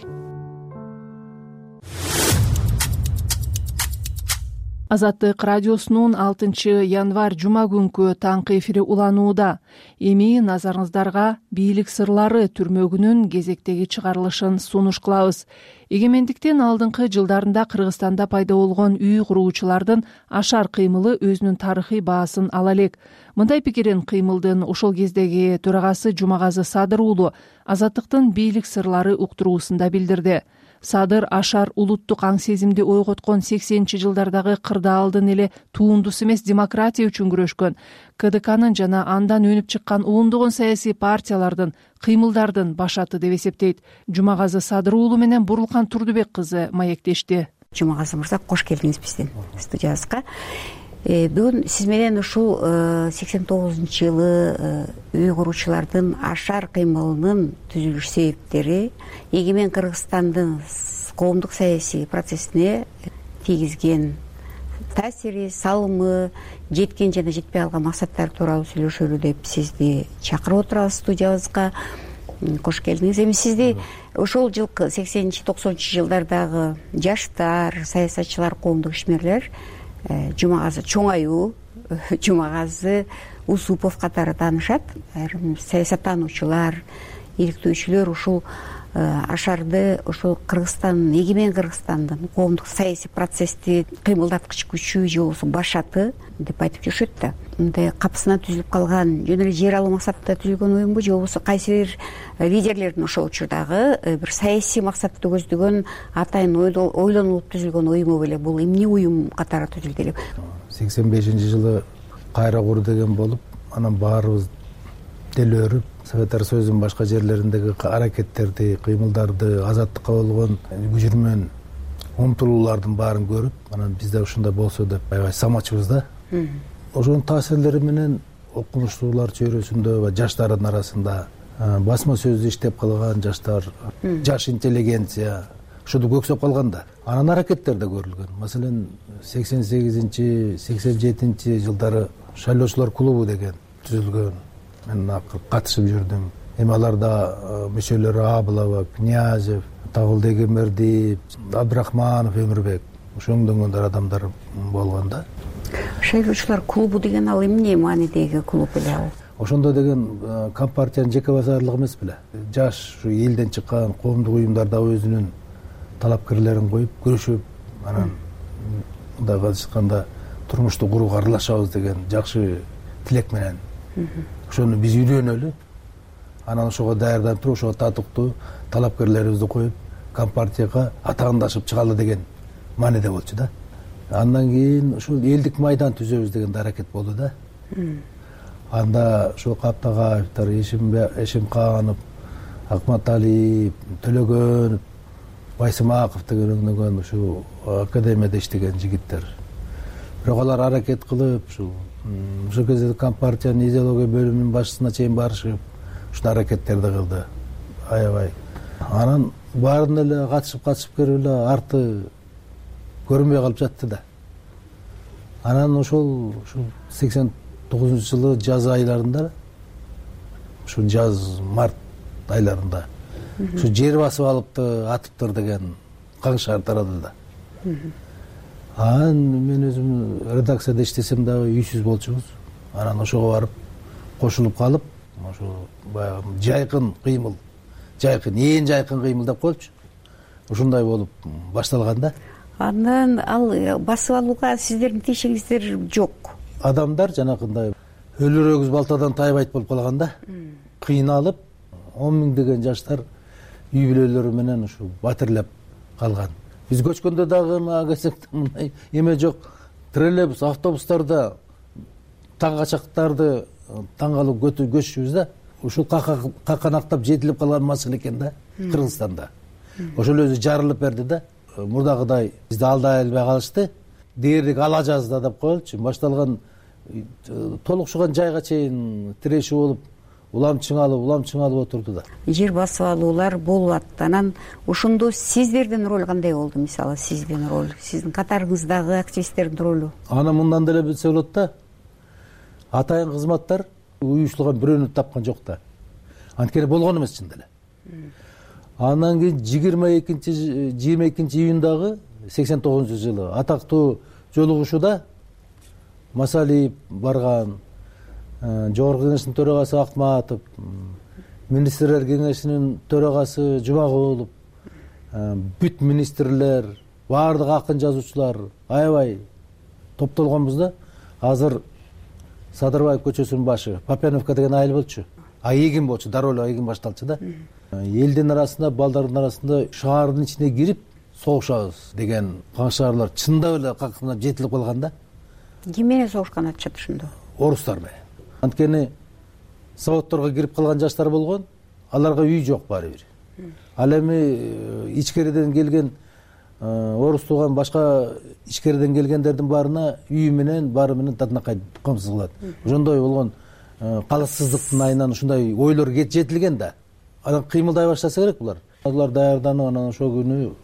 Азаттык радиосунун алтынчы январь жума күнкү таңкы эфири уланууда. Эми назарыңыздарга бийлик сырлары түрмөгүнүн кезектеги чыгарылышын сунуш кылабыз. Эгемендиктин алдыңкы жылдарында Кыргызстанда пайда болгон үй куруучулардын ашар кыймылы өзүнүн тарыхый баасын ала элек. Мындай пикирин кыймылдын ошол кездеги төрагасы Жумагазы Садыр уулу Азаттыктын бийлик сырлары уктуруусунда билдирди. Садыр ашар улуттук аң сезимди ойготкон сексенинчи жылдардагы кырдаалдын эле туундусу эмес, демократия үчүн күрөшкөн КДКнын жана андан өнүп чыккан ондогон саясий партиялардын кыймылдардын башаты деп эсептейт. Жумагазы Садыр уулу менен Бурулкан Турдубек кызы маектешти. Жумагазы мырза, кош келдиңиз биздин студиябызга. Бүгүн сиз менен ушул сексен тогузунчу жылы үй куруучулардын ашар кыймылынын түзүлүш себептери, эгемен Кыргызстандын коомдук саясий процессине тийгизген таасири, салымы, жеткен жана жетпей калган максаттары тууралуу сүйлөшөлү деп сизди чакырып отурабыз студиябызга. Кош келдиңиз. Эми сизди ошол жылкы сексенинчи токсонунчу жылдардагы жаштар, саясатчылар, коомдук ишмерлер Жумагазы Чоңаю, Жумагазы Усупов катары таанышат. Айрым саясаттануучулар, иликтөөчүлөр ушул ашарды ошол Кыргызстан, эгемен Кыргызстандын коомдук саясий процессти кыймылдаткыч күчү же болбосо башаты деп айтып жүрүшөт да. Мындай капысына түзүлүп калган, жөн эле жер алуу максатында түзүлгөн уюмбу же болбосо кайсы бир лидерлердин ошол учурдагы бир саясий максатты көздөгөн атайын ойлонулуп түзүлгөн уюму беле? Бул эмне уюм катары түзүлдү эле? сексен бешинчи жылы кайра кур деген болуп, анан баарыбыз делөөрүп, Советтер Союзунун башка жерлериндеги аракеттерди, кыймылдарды, азаттыкка болгон күжүрмөн умтулуулардын баарын көрүп, анан биз да ушундай болсо деп аябай самачыбыз да. Ошонун таасирлери менен окумуштуулар чөйрөсүндө, жаштардын арасында басма сөздү иштеп калган жаштар, жаш интеллигенция ушуну көксөп калган да. Анан аракеттер да көрүлгөн. Маселен, сексен сегизинчи, сексен жетинчи жылдары шайлоочулар клубу деген түзүлгөн. Мен катышып жүрдүм. Эми аларда мүчөлөрү Абылова, Князев, Табылды Эгембердиев, Абдрахманов, Өмүрбек ошоңдөнгөндөр адамдар болгон да. Шайлоочулар клубу деген ал эмне маанидеги клуб эле ал? Ошондо деген Компартиянын жеке базарлыгы эмес беле. Жаш ушу элден чыккан коомдук уюмдарда өзүнүн талапкерлерин коюп, көрүшүп, анан мындайга айтканда турмушту курууга аралашабыз деген жакшы тилек менен ошону биз үйрөнөлү. Анан ошого даярданып туруп, ошого татыктуу талапкерлерибизди коюп, Компартияга атаандашып чыгалы деген мааниде болчу да. Андан кийин ушул элдик майдан түзөбүз деген аракет болду да. Анда ошол Каптагаевдер, Эшимканов, Акматалиев, Төлөгөнов, Байсымаков деген өңдөгөн ушу академияда иштеген жигиттер. Бирок алар аракет кылып, ушул ошол кезде Компартиянын идеология бөлүмүнүн башчысына чейин барышып, ушул аракеттерди кылды. Аябай. Анан баарын эле катышып катышып келип эле арты көрүнбөй калып жатты да. Анан ошол ушул сексен тогузунчу жылы жаз айларында, ушу жаз март айларында ушу жер басып алыпты, атыптыр деген каңшар тарады да. Анан мен өзүм редакцияда иштесем дагы үйсүз болчубуз. Анан ошого барып кошулуп калып, ошо баягы жайкын кыймыл, жайкын, ээн жайкын кыймыл деп коелучу. Ушундай болуп башталган да. Андан ал басып алууга сиздердин тиешеңиздер жок. Адамдар жанакындай өлөр өгүз балтадан тайбайт болуп калган да. Кыйналып, он миңдеген жаштар үй бүлөлөрү менен ушу батирлеп калган. Биз көчкөндө дагы мындай эме жок. Троллейбус, автобустарда таң качактарды таң калып көчүшүбүз да. Ушул каканактап жетилип калган маселе экен да Кыргызстанда. Ошол өзү жарылып берди да. Мурдагыдай бизди алдай албай калышты. Дээрлик ала жазда деп коелучу. Башталган толукшуган жайга чейин тирешүү болуп, улам чыңалып, улам чыңалып отурду да. Жер басып алуулар болуп атты. Анан ошондо сиздердин роль кандай болду? Мисалы, сиздин роль, сиздин катарыңыздагы активисттердин ролу? Аны мындан деле билсе болот да. Атайын кызматтар уюштурган бирөөнү тапкан жок да. Анткени болгон эмес чын деле. Андан кийин жыйырма экинчи жыйырма экинчи июндагы сексен тогузунчу жылы атактуу жолугушууда Масалиев барган, Жогорку Кеңештин төрагасы Акматов, Министрлер Кеңешинин төрагасы Жумагулов, бүт министрлер, баардык акын жазуучулар аябай топтолгонбуз да. Азыр Садырбаев көчөсүнүн башы, Попяновка деген айыл болчу. А эгин болчу, дароо эле эгин башталчу да. Элдин арасында, балдардын арасында шаардын ичине кирип согушабыз деген каңшаарлар чындап эле какынап жетилип калган да. Ким менен согушкан атышат ошондо? Орустар менен. Анткени заводдорго кирип калган жаштар болгон, аларга үй жок баары бир. Ал эми ичкериден келген орус тууган башка ичкериден келгендердин баарына үй менен, баары менен татынакай камсыз кылат. Ошондой болгон калыссыздыктын айынан ушундай ойлор жетилген да. Анан кыймылдай баштаса керек булар. Алар даярданып, анан ошол күнү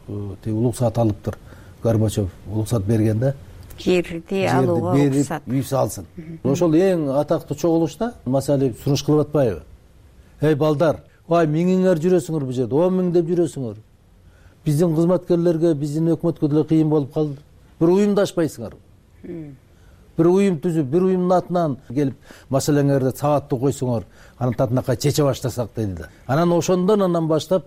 улуксаат алыптыр. Горбачев улуксаат берген да. Жерди алууга уруксат. Үй салсын. Ошол эң атактуу чогулушта Масалиев сунуш кылып атпайбы? Эй балдар, ай миңиңер жүрөсүңөр бул жерде, он миң деп жүрөсүңөр. Биздин кызматкерлерге, биздин өкмөткө деле кыйын болуп калды. Бир уюмдашпайсыңар. бир уюм түзүп, бир уюмдун атынан келип маселеңерди сабаттуу койсоңор, анан татынакай чече баштасак деди да. Анан ошондон анан баштап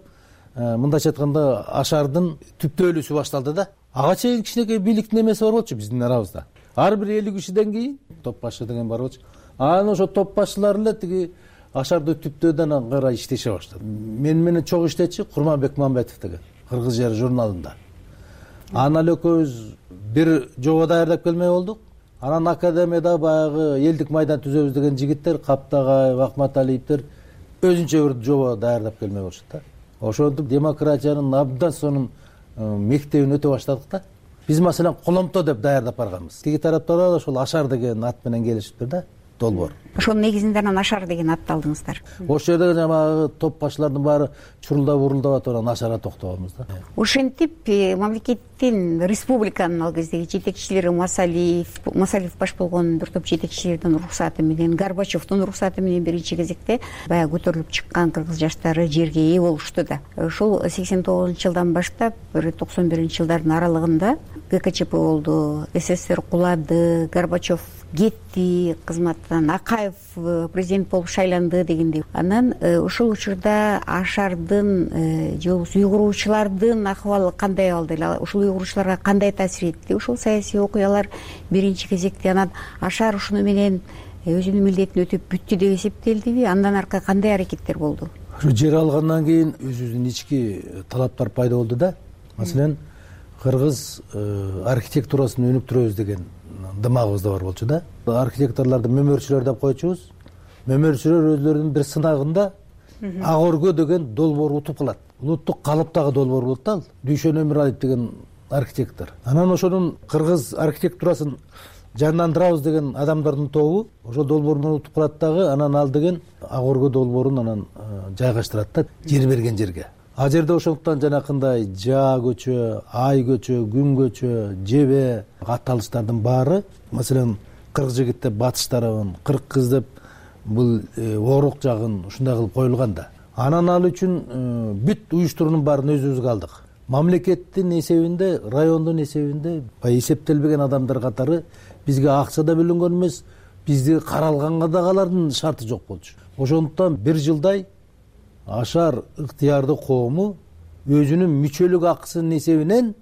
мындайча айтканда Ашардын түптөлүүсү башталды да. Ага чейин кичинекей бийликтин эмеси бар болчу биздин арабызда. Ар бир элүү кишиден кийин топ башы деген бар болчу. Анан ошо топ башчылар эле тиги Ашарды түптөөдөн карай иштеше баштады. Мен менен чогуу иштечи Курманбек Мамбетов деген Кыргыз жери журналында. Анан эле экөөбүз бир жоба даярдап келмей болдук. Анан академияда баягы элдик майдан түзөбүз деген жигиттер, Каптагай, Акматалиевдер өзүнчө бир жоба даярдап келмей болушат да. Ошентип демократиянын абдан сонун мектебин өтө баштадык да. Биз маселен Коломто деп даярдап барганбыз. Тиги тараптар да ошол Ашар деген ат менен келишиптир да. Долбоор. Ошонун негизинде анан Ашар деген атты алдыңыздар. Ошол жерде жанагы топ башчылардын баары чурулдап урулдап атып анан Ашарга токтогонбуз да. Ошентип мамлекеттин республиканын ал кездеги жетекчилери Масалиев, Масалиев баш болгон бир топ жетекчилердин уруксаты менен, Горбачевдун уруксаты менен биринчи кезекте баягы көтөрүлүп чыккан кыргыз жаштары жерге ээ болушту да. Ошол сексен тогузунчу жылдан баштап бир токсон биринчи жылдардын аралыгында ГКЧП болду, СССР кулады, Горбачев кетти кызматтан, Акаев президент болуп шайланды дегендей. Анан ошол учурда Ашардын же болбосо уйгуруучулардын акыбалы кандай болду эле, ошол уйгуруучуларга кандай таасир этти? Ошол саясий окуялар биринчи кезекте анан Ашар ушуну менен өзүнүн милдетин өтөп бүттү деп эсептелдиби? Андан аркы кандай аракеттер болду? Ушу жер алгандан кийин өзүбүздүн ички талаптар пайда болду да. Маселен, кыргыз архитектурасын өнүктүрөбүз деген дымагыбызда бар болчу да. Архитекторлорду мөмөрчүлөр деп койчубуз. Мөмөрчүлөр өзлөрүнүн бир сынагында ак өргө деген долбоор утуп калат. Улуттук калыптагы долбоор болот да. Дүйшөн Өмүралиев деген архитектор. Анан ошонун кыргыз архитектурасын жандандырабыз деген адамдардын тобу ошо долбоордон утуп калат дагы, анан ал деген ак өргө долбоорун анан жайгаштырат да жер берген жерге. А жерде ошондуктан жанакындай жаа көчө, ай көчө, күн көчө, жебе катталыштардын баары, маселен кырк жигит деп батыш тарабын, кырк кыз деп бул Орук жагын ушундай кылып коюлган да. Анан ал үчүн бүт уюштуруунун баарын өзүбүзгө алдык. Мамлекеттин эсебинде, райондун эсебинде эсептелбеген адамдар катары бизге акча да бөлүнгөн эмес, бизди каралганга да алардын шарты жок болчу. Ошондуктан бир жылдай Ашар ыктыярдуу коому өзүнүн мүчөлүк акысынын эсебинен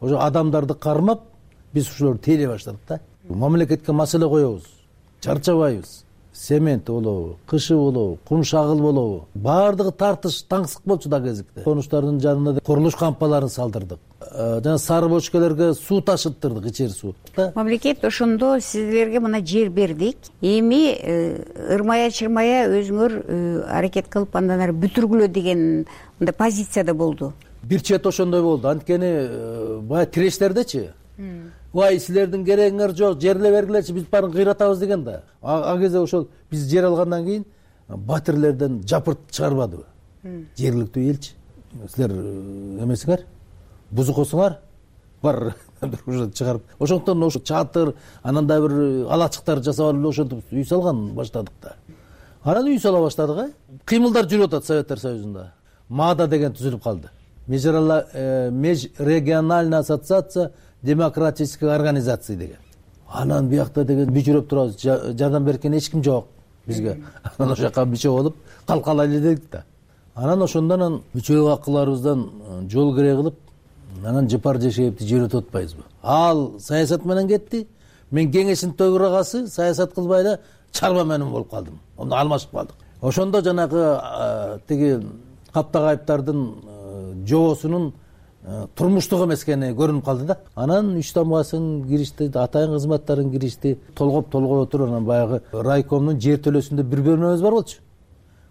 ошо адамдарды кармап, биз ушуларды тейлей баштадык да. Мамлекетке маселе коебуз, чарчабайбыз. Цемент болобу, кышы болобу, кум шагыл болобу, баардыгы тартыш, таңсык болчу да кезикте. Конуштардын жанына курулуш кампаларын салдырдык. Жана сары бочкалерге суу ташыттырдык, ичери суу. Мамлекет ошондо сиздерге мына жер бердик. Эми ырмая чырмая өзүңөр аракет кылып андан ары бүтүргүлө деген мындай позицияда болду. Бир чет ошондой болду. Анткени баягы тирештердечи Вай силердин керегиңер жок, жерле бергилечи, биз баарын кыйратабыз деген да. А кезде ошол биз жер алгандан кийин батирлерден жапырт чыгарбадыбы? Жергиликтүү элчи. Силер эмесиңер, бузукосуңар, бар уже чыгарып. Ошондуктан ошо чатыр, анан да бир алачыктар жасап алып ошентип үй салган баштадык да. Анан үй сала баштадык, э? Кыймылдар жүрүп атат Советтер Союзунда. МАДА деген түзүлүп калды. Межрегиональная ассоциация демократических организаций деген. Анан биякта деген бүчүрөп турабыз, жардам беркен эч ким жок бизге. Анан ошол жака мүчө болуп калкалайлы дедик да. Анан ошондон мүчөлүк акыларыбыздан жол керек кылып, анан Жыпар Жешеевди жөнөтүп атпайбызбы? Ал саясат менен кетти. Мен кеңештин төрагасы саясат кылбай эле чарба менен болуп калдым. Онда алмашып калдык. Ошондо жанагы тиги Каптагайыптардын жобосунун турмуштук эмес экени көрүнүп калды да. Анан үч тамгасын киришти, атайын кызматтарын киришти, толгоп толгой отуруп анан баягы райкомдун жер төлөөсүндө бир бөлмөбүз бар болчу.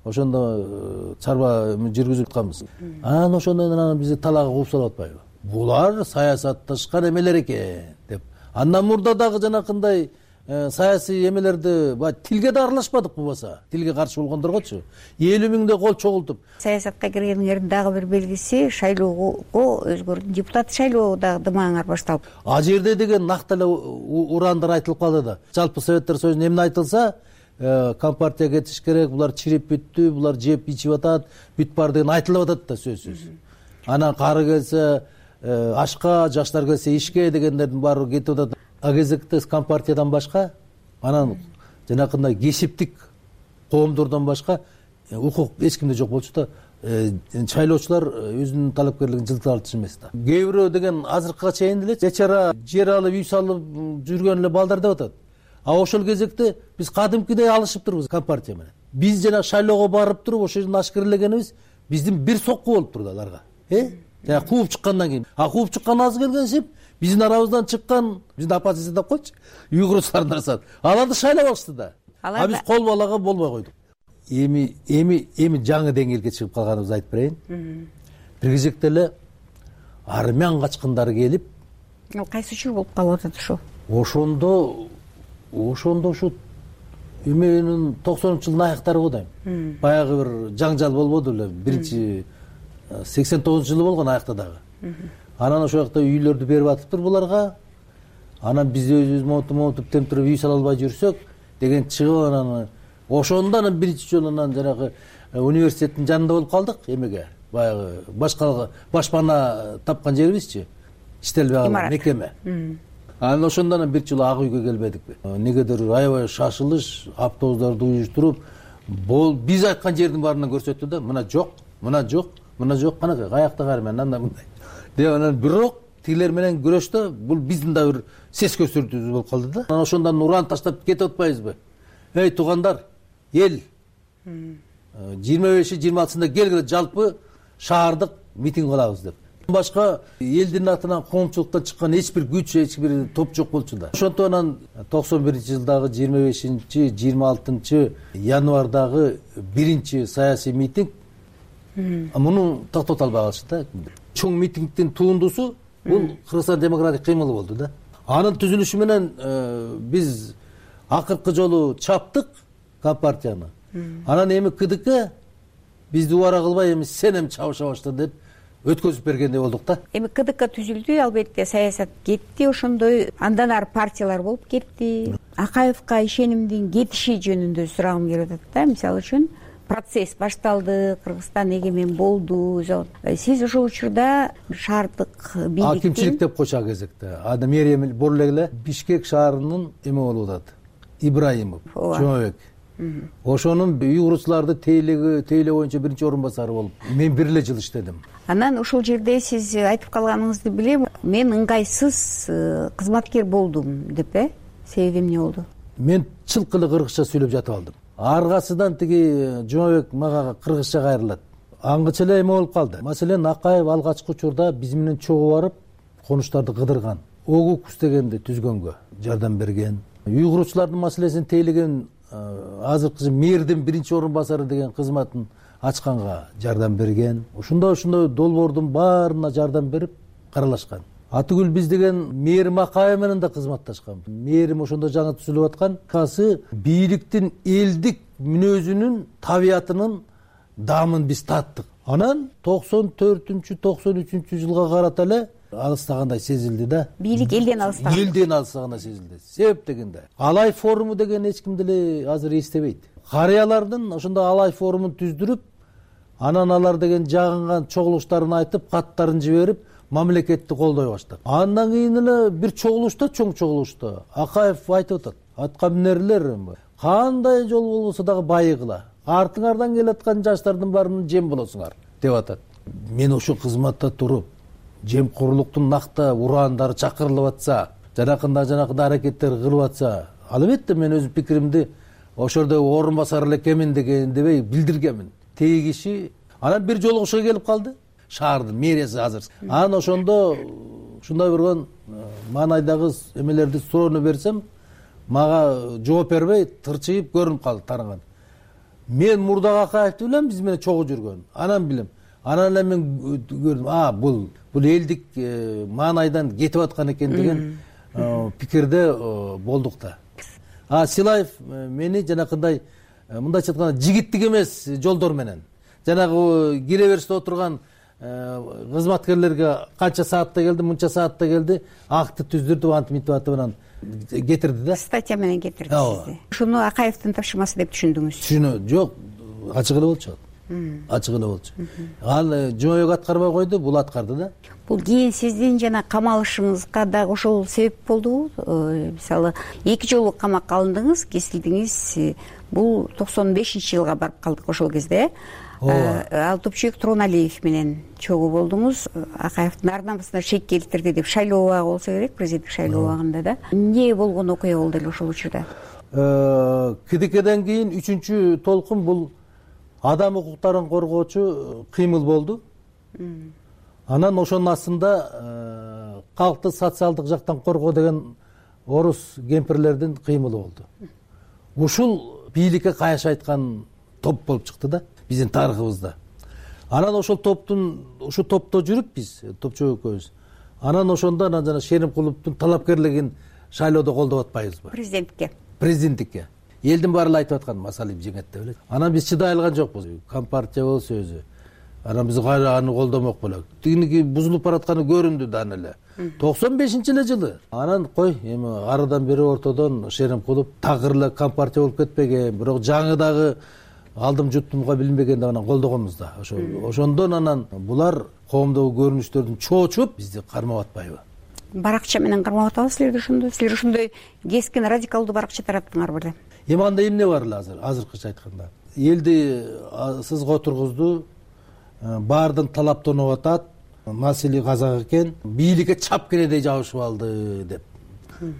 Ошондо чарба жүргүзүп атканбыз. Анан ошондон анан бизди талаага кууп салып атпайбы? Булар саясатташкан эмелер экен деп. Андан мурда дагы жанакындай саясий эмелерди тилге да аралашпадык болбосо. Тилге каршы болгондоргочу элүү миңдей кол чогултуп. Саясатка киргениңердин дагы бир белгиси шайлоого өзгөрдү. Депутат шайлоо дагы дымаңар башталып. А жерде деген накты эле урандар айтылып калды да. Жалпы Советтер Союзунда эмне айтылса, компартия кетиш керек, булар чирип бүттү, булар жеп ичип атат, бүт бар деген айтылып атат да сөзсүз. Анан кары келсе ашка, жаштар келсе ишке дегендердин баары кетип атат. а кезекте компартиядан башка анан жанакындай кесиптик коомдордон башка укук эч кимде жок болчу да шайлоочулар өзүнүн талапкерлигин жылыта алчу эмес да. Кээ бирөө деген азыркыга чейин деле чачара жер алып үй салып жүргөн эле балдар деп атат. А ошол кезекте биз кадимкидей алышыптырбыз компартия менен. Биз жана шайлоого барып туруп ошол жерден ашкерлегенибиз биздин бир сокку болуп турду аларга. Э? Жана кууп чыккандан кийин. А кууп чыккан аз келгенсип биздин арабыздан чыккан биздин оппозиция деп койчу. Уйгурлардын арасынан. Аларды шайлап алышты да. А биз кол балага болбой койдук. Эми эми эми жаңы деңгээлге чыгып калганыбызды айтып берейин. Бир кезекте эле армян качкындары келип, ал кайсы жыл болуп калып атат ошо? Ошондо ошондо ушу эменин токсонунчу жылдын аяктары го дейм. Баягы бир жаңжал болбоду эле. Биринчи сексен тогузунчу жылы болгон аякта дагы. Анан ошол жакта үйлөрдү берип атыптыр буларга. Анан биз өзүбүз монтуп монтуп темтирип үй сала албай жүрсөк деген чыгып анан ошондо анан биринчи жолу анан жанагы университеттин жанында болуп калдык эмеге. Баягы башка башпана тапкан жерибизчи. Иштелбей калган мекеме. Анан ошондо анан бир жолу ак үйгө келбедикпи? Негедир аябай шашылыш, автобустарды уюштуруп, бул биз айткан жердин баарынан көрсөттү да, мына жок, мына жок, мына жок, канакай каякта карман, анда мындай. Деп анан бирок тилер менен күрөштө бул биздин да бир сес көстөрүүбүз болуп калды да. Анан ошондон уран таштап кетип атпайбызбы? Эй туугандар, эл жыйырма беши жыйырма алтысында келгиле жалпы шаардык митинг кылабыз деп. Башка элдин атынан коомчулуктан чыккан эч бир күч, эч бир топ жок болчу да. Ошондо анан токсон биринчи жылдагы жыйырма бешинчи жыйырма алтынчы январдагы биринчи саясий митинг муну токтото албай калышты да. Чоң митингдин тундусу бул Кыргызстан демократик кыймылы болду да. Анын түзүлүшү менен биз акыркы жолу чаптык компартияны. Анан эми КДК бизди убара кылбай эми сен эми чабыша башла деп өткөзүп бергендей болдук да. Эми КДК түзүлдү, албетте саясат кетти, ошондой андан ары партиялар болуп кетти. Акаевка ишенимдин кетиши жөнүндө сурагым келип атат да. Мисалы үчүн процесс башталды, Кыргызстан эгемен болду. Сиз ошол учурда шаардык бийликтин акимчилик деп койчу а кезекте. Ада мэрия бола эле Бишкек шаарынын эме болуп атат. Ибраимов, Жомобек. Ошонун уйгурчуларды тейлөө тейлөө боюнча биринчи орун басары болуп, мен бир эле жыл иштедим. Анан ошол жерде сиз айтып калганыңызды билем, мен ыңгайсыз кызматкер болдум деп, э? Себеби эмне болду? Мен чылкы эле кыргызча сүйлөп жатып алдым. Аргасынан тиги Жомобек мага кыргызча кайрылат. Аңгыча эле эме болуп калды. Маселен, Акаев алгачкы учурда биз менен чогуу барып, конуштарды кыдырган. Огукус дегенди түзгөнгө жардам берген. Уйгурчулардын маселесин тейлеген азыркы мэрдин биринчи орун басары деген кызматын ачканга жардам берген. Ошондой ошондой долбоордун баарына жардам берип каралашкан. Атыгүл биз деген мэрим Акаев менен да кызматташкан. Мэрим ошондо жаңы түзүлүп аткан. Касы бийликтин элдик мүнөзүнүн, табиятынын дамын биз таттык. Анан токсон төртүнчү токсон үчүнчү жылга карата эле алыстагандай сезилди да. Бийлик элден алыстаган. Элден алыстагандай сезилди. Себеп дегенде Алай форуму деген эч ким деле азыр эстебейт. Карыялардын ошондо Алай форумун түздүрүп, анан алар деген жагынган чогулуштарын айтып, каттарын жиберип, мамлекетти колдой баштады. Андан кийин эле бир чогулушта, чоң чогулушта Акаев айтып атат: "Атка минерлер, кандай жол болбосо дагы байыгыла. Артыңардан келаткан жаштардын баарына жем болосуңар" деп атат. Мен ошо кызматта туруп, жемкорлуктун накта урандары чакырылып атса, жанакында жанакында аракеттер кылып атса, албетте мен өз пикиримди ошордо орун басар эле экенмин дегенди билдиргенмин. Теги киши анан бир жолугушууга келип калды. Шаардын мэриясы азыр. Анан ошондо ушундай болгон маанайдагы эмелерди суроону берсем, мага жооп бербей тырчыйып көрүнүп калды, таранган. Мен мурдагы Акаевди билем, биз менен чогуу жүргөн. Анан билем. Анан эле мен көрдүм, а бул бул элдик маанайдан кетип аткан экен деген пикирде болдук да. А Силаев мени жанакындай мындайча айтканда жигиттик эмес жолдор менен, жанагы кире бериште отурган кызматкерлерге канча саатта келди, мынча саатта келди, акты түздүрдүп, антип мынтип атып анан кетирди да. Статья менен кетирди сизди. Ушуну Акаевдин тапшырмасы деп түшүндүңүз? Түшүнө, жок, ачык эле болчу. ачык эле болчу. Ал жойгок аткарбай койду, бул аткарды да. Бул кийин сиздин жана камалышыңызга дагы ошол себеп болдубу? Мисалы, эки жолу камакка алындыңыз, кесилдиңиз. Бул токсон бешинчи жылга барып калдык ошол кезде. Ал Топчубек Туроналиев менен чогуу болдуңуз. Акаевдин ардамысына шек келтирди деп шайлоо убагы болсо керек, президенттик шайлоо убагында да. Эмне болгон окуя болду эле ошол учурда? КДКден кийин үчүнчү толкун бул адам укуктарын коргоочу кыймыл болду. Анан ошонун астында калкты социалдык жактан коргоо деген орус кемпирлердин кыймылы болду. Ушул бийликке кайшы айткан топ болуп чыкты да биздин тарыхыбызда. Анан ошол топтун ушу топто жүрүп биз Топчубек экөөбүз. Анан ошондо анан жана Шеримкуловдун талапкерлигин шайлоодо колдоп атпайбызбы? Президентке. Президенттикке. Элдин баары эле айтып аткан Масалиев жеңет деп эле. Анан биз чыдай алган жокпуз. Компартия болсо өзү. Анан биз кайра аны колдомок болок. Тигиники бузулуп баратканы көрүндү да эле. токсон бешинчи эле жылы. Анан кой, эми арыдан бери ортодон Шеримкулов такыр эле компартия болуп кетпеген, бирок жаңы дагы алдым жуттумга билинбеген деп анан колдогонбуз да. Ошо ошондон анан булар коомдогу көрүнүштөрдүн чоочуп бизди кармап атпайбы? Баракча менен кармап атабы силерди ошондо? Силер ошондой кескин радикалдуу баракча тараттыңар беле? Эми анда эмне бар эле азыр, азыркыча айтканда. Элди сызга отургузду, баардын талаптанып атат, маселе казак экен, бийликке чап кенедей жабышып алды деп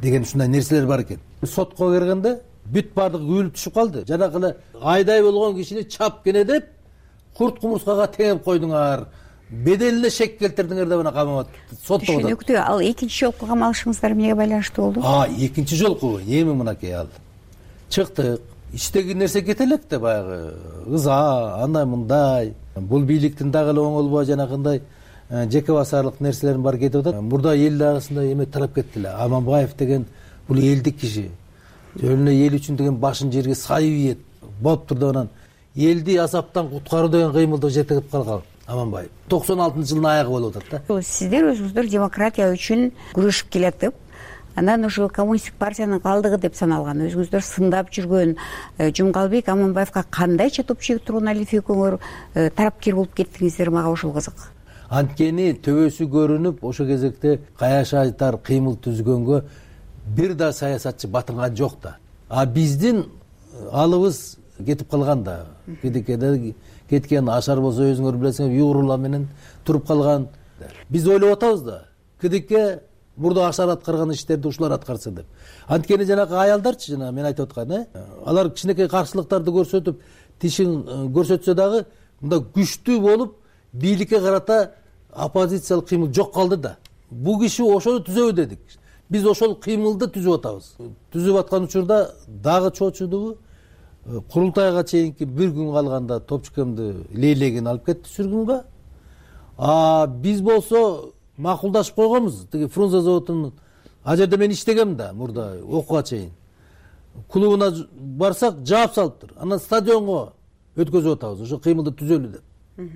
деген ушундай нерселер бар экен. Сотко кергенде бүт баардыгы күбөлүп түшүп калды. Жанагы эле айдай болгон кишини чап кене деп курт кумурскага теңеп койдуңар, бедел эле шек келтирдиңер деп анан камап сотто атат. Түшүнүктүү. Ал экинчи жолку камалышыңыздар эмнеге байланыштуу болду? А, экинчи жолку эми мынакей ал. Чыктык, ичтеги нерсе кете элек да баягы ыза, андай мындай. Бул бийликтин дагы эле оңолбой жанагындай жеке басарлык нерселерин бар кетип атат. Мурда эл арасында эме тарап кетти эле. Аманбаев деген бул элдик киши. Жөн эле эл үчүн деген башын жерге сайып ийет. Болуптур деп анан элди азаптан куткаруу деген кыймылды жеткирип калган Аманбаев. токсон алтынчы жылдын аягы болуп атат да. Сиздер өзүңүздөр демократия үчүн күрөшүп келатып, анан ошол коммунисттик партиянын калдыгы деп саналган, өзүңүздөр сындап жүргөн Жумгалбек Аманбаевка кандайча Топчубек Туроналиев экөөңөр тарапкер болуп кеттиңиздер, мага ошол кызык. Анткени төбөсү көрүнүп, ошол кезекте каяша айтар кыймыл түзгөнгө бир да саясатчы батынган жок да. А биздин алыбыз кетип калган да. Кедекеде кеткен Ашар болсо өзүңөр билесиңер, Югурула менен туруп калган. Биз ойлоп атабыз да. Кедеке мурда Ашар аткарган иштерди ушулар аткарса деп. Анткени жанагы аялдарчы, жана мен айтып аткан, э, алар кичинекей каршылыктарды көрсөтүп, тишин көрсөтсө дагы, мында күчтүү болуп, бийликке карата оппозициялык кыймыл жок калды да. Бул киши ошону түзөбү дедик. Биз ошол кыймылды түзүп атабыз. Түзүп аткан учурда дагы чоочудубу? Курултайга чейинки бир күн калганда Топчубекемди лейлеген алып кетти сүргүнгө. А биз болсо макулдашып койгонбуз. Тиги Фрунзе заводунун а жерде мен иштегем да мурда окууга чейин. Клубуна барсак жаап салыптыр. Анан стадионго өткөзүп атабыз. Ошо кыймылды түзөлү деп.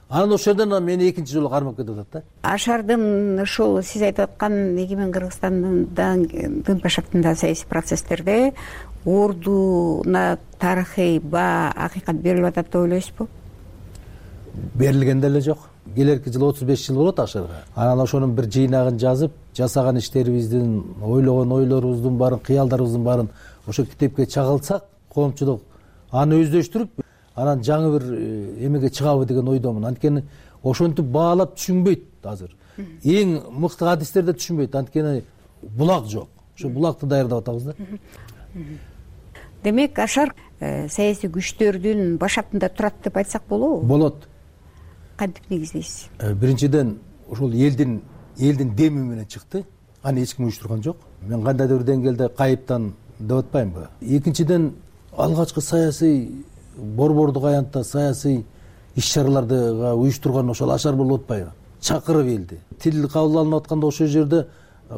Анан ошол жерден мени экинчи жолу кармап кетип атат да. Ашардын ушул сиз айтып аткан эгемен Кыргызстандын ДНП шартындагы саясий процесстерде ордуна тарыхый баа, акыйкат берилип атат деп ойлойсузбу? Берилген деле жок. Келерки жылы отуз беш жыл болот Ашарга. Анан ошонун бир жыйнагын жазып, жасаган иштерибиздин, ойлогон ойлорубуздун баарын, кыялдарыбыздын баарын ошо китепке чагылсак, коомчулук аны өздөштүрүп, анан жаңы бир эмеге чыгабы деген ойдомун. Анткени ошентип баалап түшүнбөйт азыр. Эң мыкты адистерде түшүнбөйт. Анткени булак жок. Ошо булакты даярдап атабыз да. Демек, Ашар саясий күчтөрдүн башатында турат деп айтсак болобу? Болот. Кантип негиздейсиз? Биринчиден, ошол элдин элдин деми менен чыкты. Аны эч ким уюштурган жок. Мен кандайдыр бир деңгээлде кайыптан деп атпаймынбы? Экинчиден, алгачкы саясий борбордук аянтта саясий иш-чараларды уюштурган ошол Ашар болуп атпайбы? Чакырып элди. Тил кабыл алынып атканда ошол жерде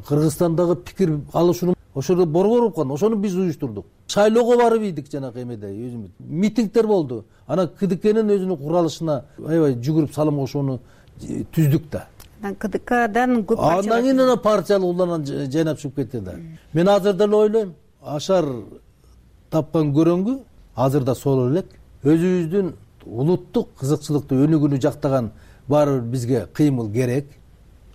Кыргызстандагы пикир алышууну ошол борбор болуп калган. Ошону биз уюштурдук. Шайлоого барып ийдик жанагы эмеде, өзүмүз. Митингдер болду. Анан КДКнын өзүнүн куралышына аябай жүгүрүп салым кошууну түздүк да. Анан КДКдан көп партия. Андан кийин ана партиялык уланан жайнап чыгып кетти да. Мен азыр деле ойлойм, Ашар тапкан көрөнгү азыр да сол элек. Өзүбүздүн улуттук кызыкчылыкту өнүгүүнү жактаган баары бир бизге кыймыл керек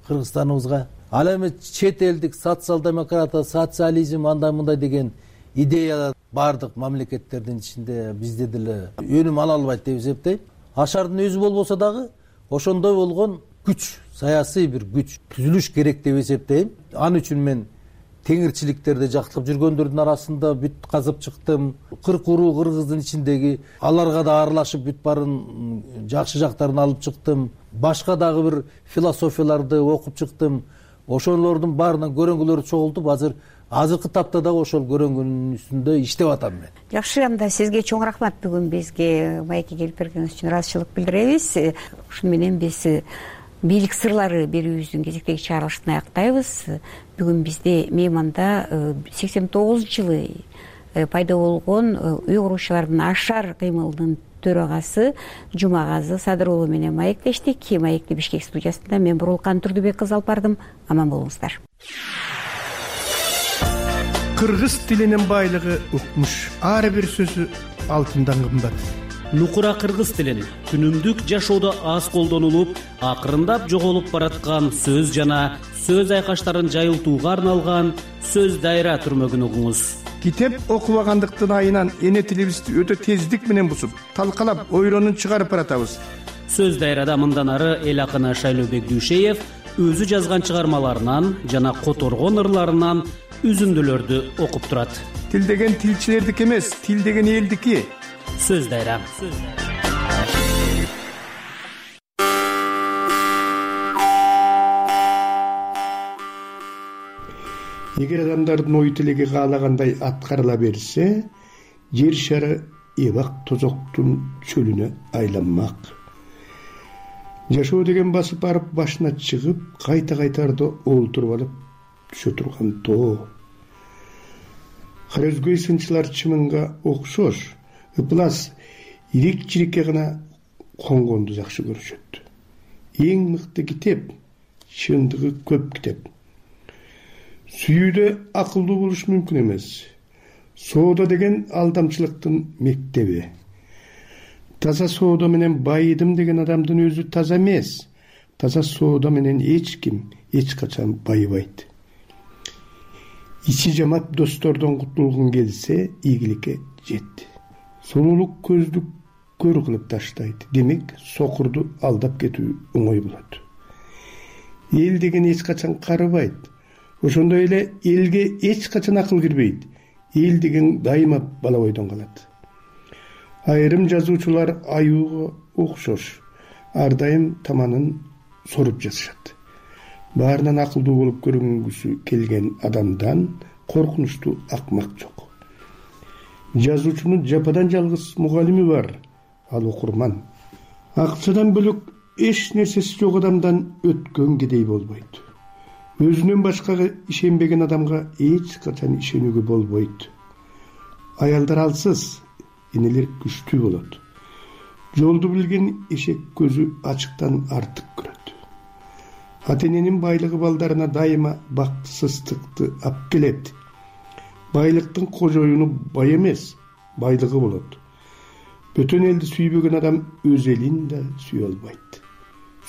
Кыргызстаныбызга. Ал эми чет элдик социал демократия, социализм андай мындай деген идея баардык мамлекеттердин ичинде бизде деле өнүм ала албайт деп эсептейм. Ашардын өзү болбосо дагы ошондой болгон күч, саясий бир күч түзүлүш керек деп эсептейм. Ал үчүн мен теңирчиликтерди жактырып жүргөндөрдүн арасында бүт казып чыктым. кырк уруу кыргыздын ичиндеги аларга да аралашып бүт баарын жакшы жактарын алып чыктым. Башка дагы бир философияларды окуп чыктым. Ошолордун баарынан көрөнгүлөрдү чогултуп, азыр азыркы тапта дагы ошол көрөнгүнүн үстүндө иштеп атам мен. Жакшы, анда сизге чоң рахмат. Бүгүн бизге маекке келип бергениңиз үчүн ыраазычылык билдиребиз. Ушуну менен биз бийлик сырлары берүүбүздүн кезектеги чыгарылышын аяктайбыз. Бүгүн бизде мейманда сексен тогузунчу жылы пайда болгон үй куруучулардын ашар кыймылынын төрагасы Жумагазы Садыр уулу менен маектештик. Маекти Бишкек студиясында мен Бурулкан Турдубек кызы алып бардым. Аман болуңуздар. Кыргыз тилинин байлыгы укмуш. Ар бир сөзү алтындан кымбат. Нукура кыргыз тилин күнүмдүк жашоодо аз колдонулуп, акырындап жоголуп бараткан сөз жана сөз айкаштарын жайылтууга арналган сөз дайра түрмөгүн угуңуз. Китеп окубагандыктын айынан эне тилибизди өтө тездик менен бусуп, талкалап, ойлонуп чыгарып баратабыз. Сөз дайрада мындан ары эл акыны Шайлообек Дүйшеев өзү жазган чыгармаларынан жана которгон ырларынан үзүндүлөрдү окуп турат. Тил деген тилчилердики эмес, тил деген элдики. Сөз дайра. Эгер адамдардын ой тилеги каалагандай аткарыла берсе, жер шары эбак тозоктун чөлүнө айланмак. Жашоо деген басып барып башына чыгып, кайта-кайтарда олтуруп алып түшө турган тоо. Карөзгөй сынчылар чымынга окшош, ыплас ирик-чирикке гана конгонду жакшы көрүшөт. Эң мыкты китеп, чындыгы көп китеп. Сүйүүдө акылдуу болуш мүмкүн эмес. Соода деген алдамчылыктын мектеби. Таза соода менен байыдым деген адамдын өзү таза эмес. Таза соода менен эч ким эч качан байыбайт. Ичи жамап достордон кутулгун келсе, ийгиликке жет. Сулуулук көздү көр кылып таштайт. Демек, сокурду алдап кетүү оңой болот. Эл деген эч качан карыбайт. Ошондой эле элге эч качан акыл кирбейт. Эл деген дайыма бала бойдон калат. Айрым жазуучулар аюуга окшош, ар дайым таманын соруп жазышат. Баарынан акылдуу болуп көрүнгүсү келген адамдан коркунучтуу акмак жок. Жазуучунун жападан жалгыз мугалими бар, ал окурман. Акчадан бөлөк эч нерсеси жок адамдан өткөн кедей болбойт. Өзүнөн башкага ишенбеген адамга эч качан ишенүүгө болбойт. Аялдар алсыз, энелер күчтүү болот. Жолду билген эшек көзү ачыктан артык көрөт. Ата-эненин байлыгы балдарына дайыма бактысыздыкты алып келет. Байлыктын кожоюну бай эмес, байлыгы болот. Бөтөн элди сүйбөгөн адам өз элин да сүйө албайт.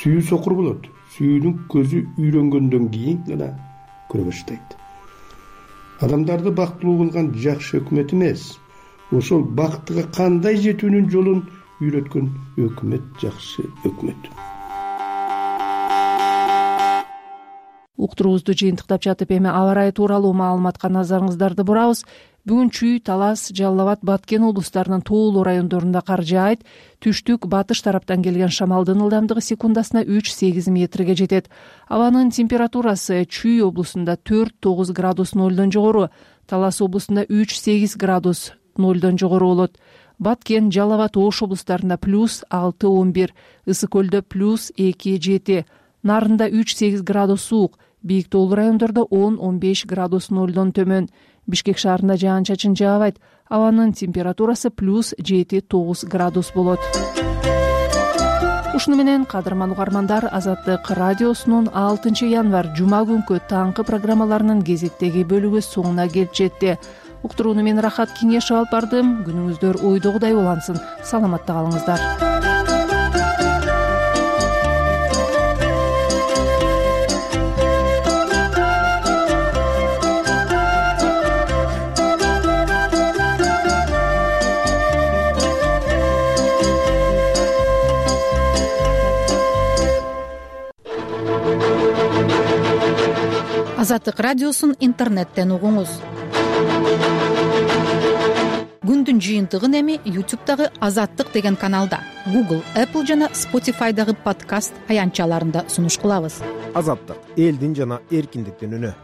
Сүйүү сокур болот. Сүйүүнүн көзү үйрөнгөндөн кийин гана көрө баштайт. Адамдарды бактылуу кылган жакшы өкмөт эмес, ошол бактыга кандай жетүүнүн жолун үйрөткөн өкмөт жакшы өкмөт. Уктуруубузду жыйынтыктап жатып эми аба ырайы тууралуу маалыматка назарыңыздарды бурабыз. Бүгүн Чүй, Талас, Жалал Абад, Баткен облустарынын тоолуу райондорунда кар жаайт. Түштүк, батыш тараптан келген шамалдын ылдамдыгы секундасына үч сегиз метрге жетет. Абанын температурасы Чүй облусунда төрт тогуз градус нолдон жогору, Талас облусунда үч сегиз градус нолдон жогору болот. Баткен, Жалал Абад, Ош облустарында плюс алты он бир, Ысык көлдө плюс эки жети, Нарында үч сегиз градус суук, бийик тоолуу райондордо он он беш градус нолдон төмөн. Бишкек шаарында жаан-чачын жаабайт. Абанын температурасы плюс жети тогуз градус болот. Ушуну менен, кадырман угармандар, Азаттык радиосунун алтынчы январь жума күнкү таңкы программаларынын кезектеги бөлүгү соңуна келип жетти. уктурууну мен Рахат Кеңешев алып бардым. Күнүңүздөр ойдогудай улансын. Саламатта калыңыздар. Азаттык радиосун интернеттен угуңуз. Күндүн жыйынтыгын эми ютубтагы Азаттык деген каналда, Google, Apple жана Spotify'дагы подкаст аянтчаларында сунуш кылабыз. Азаттык — элдин жана эркиндиктин үнү.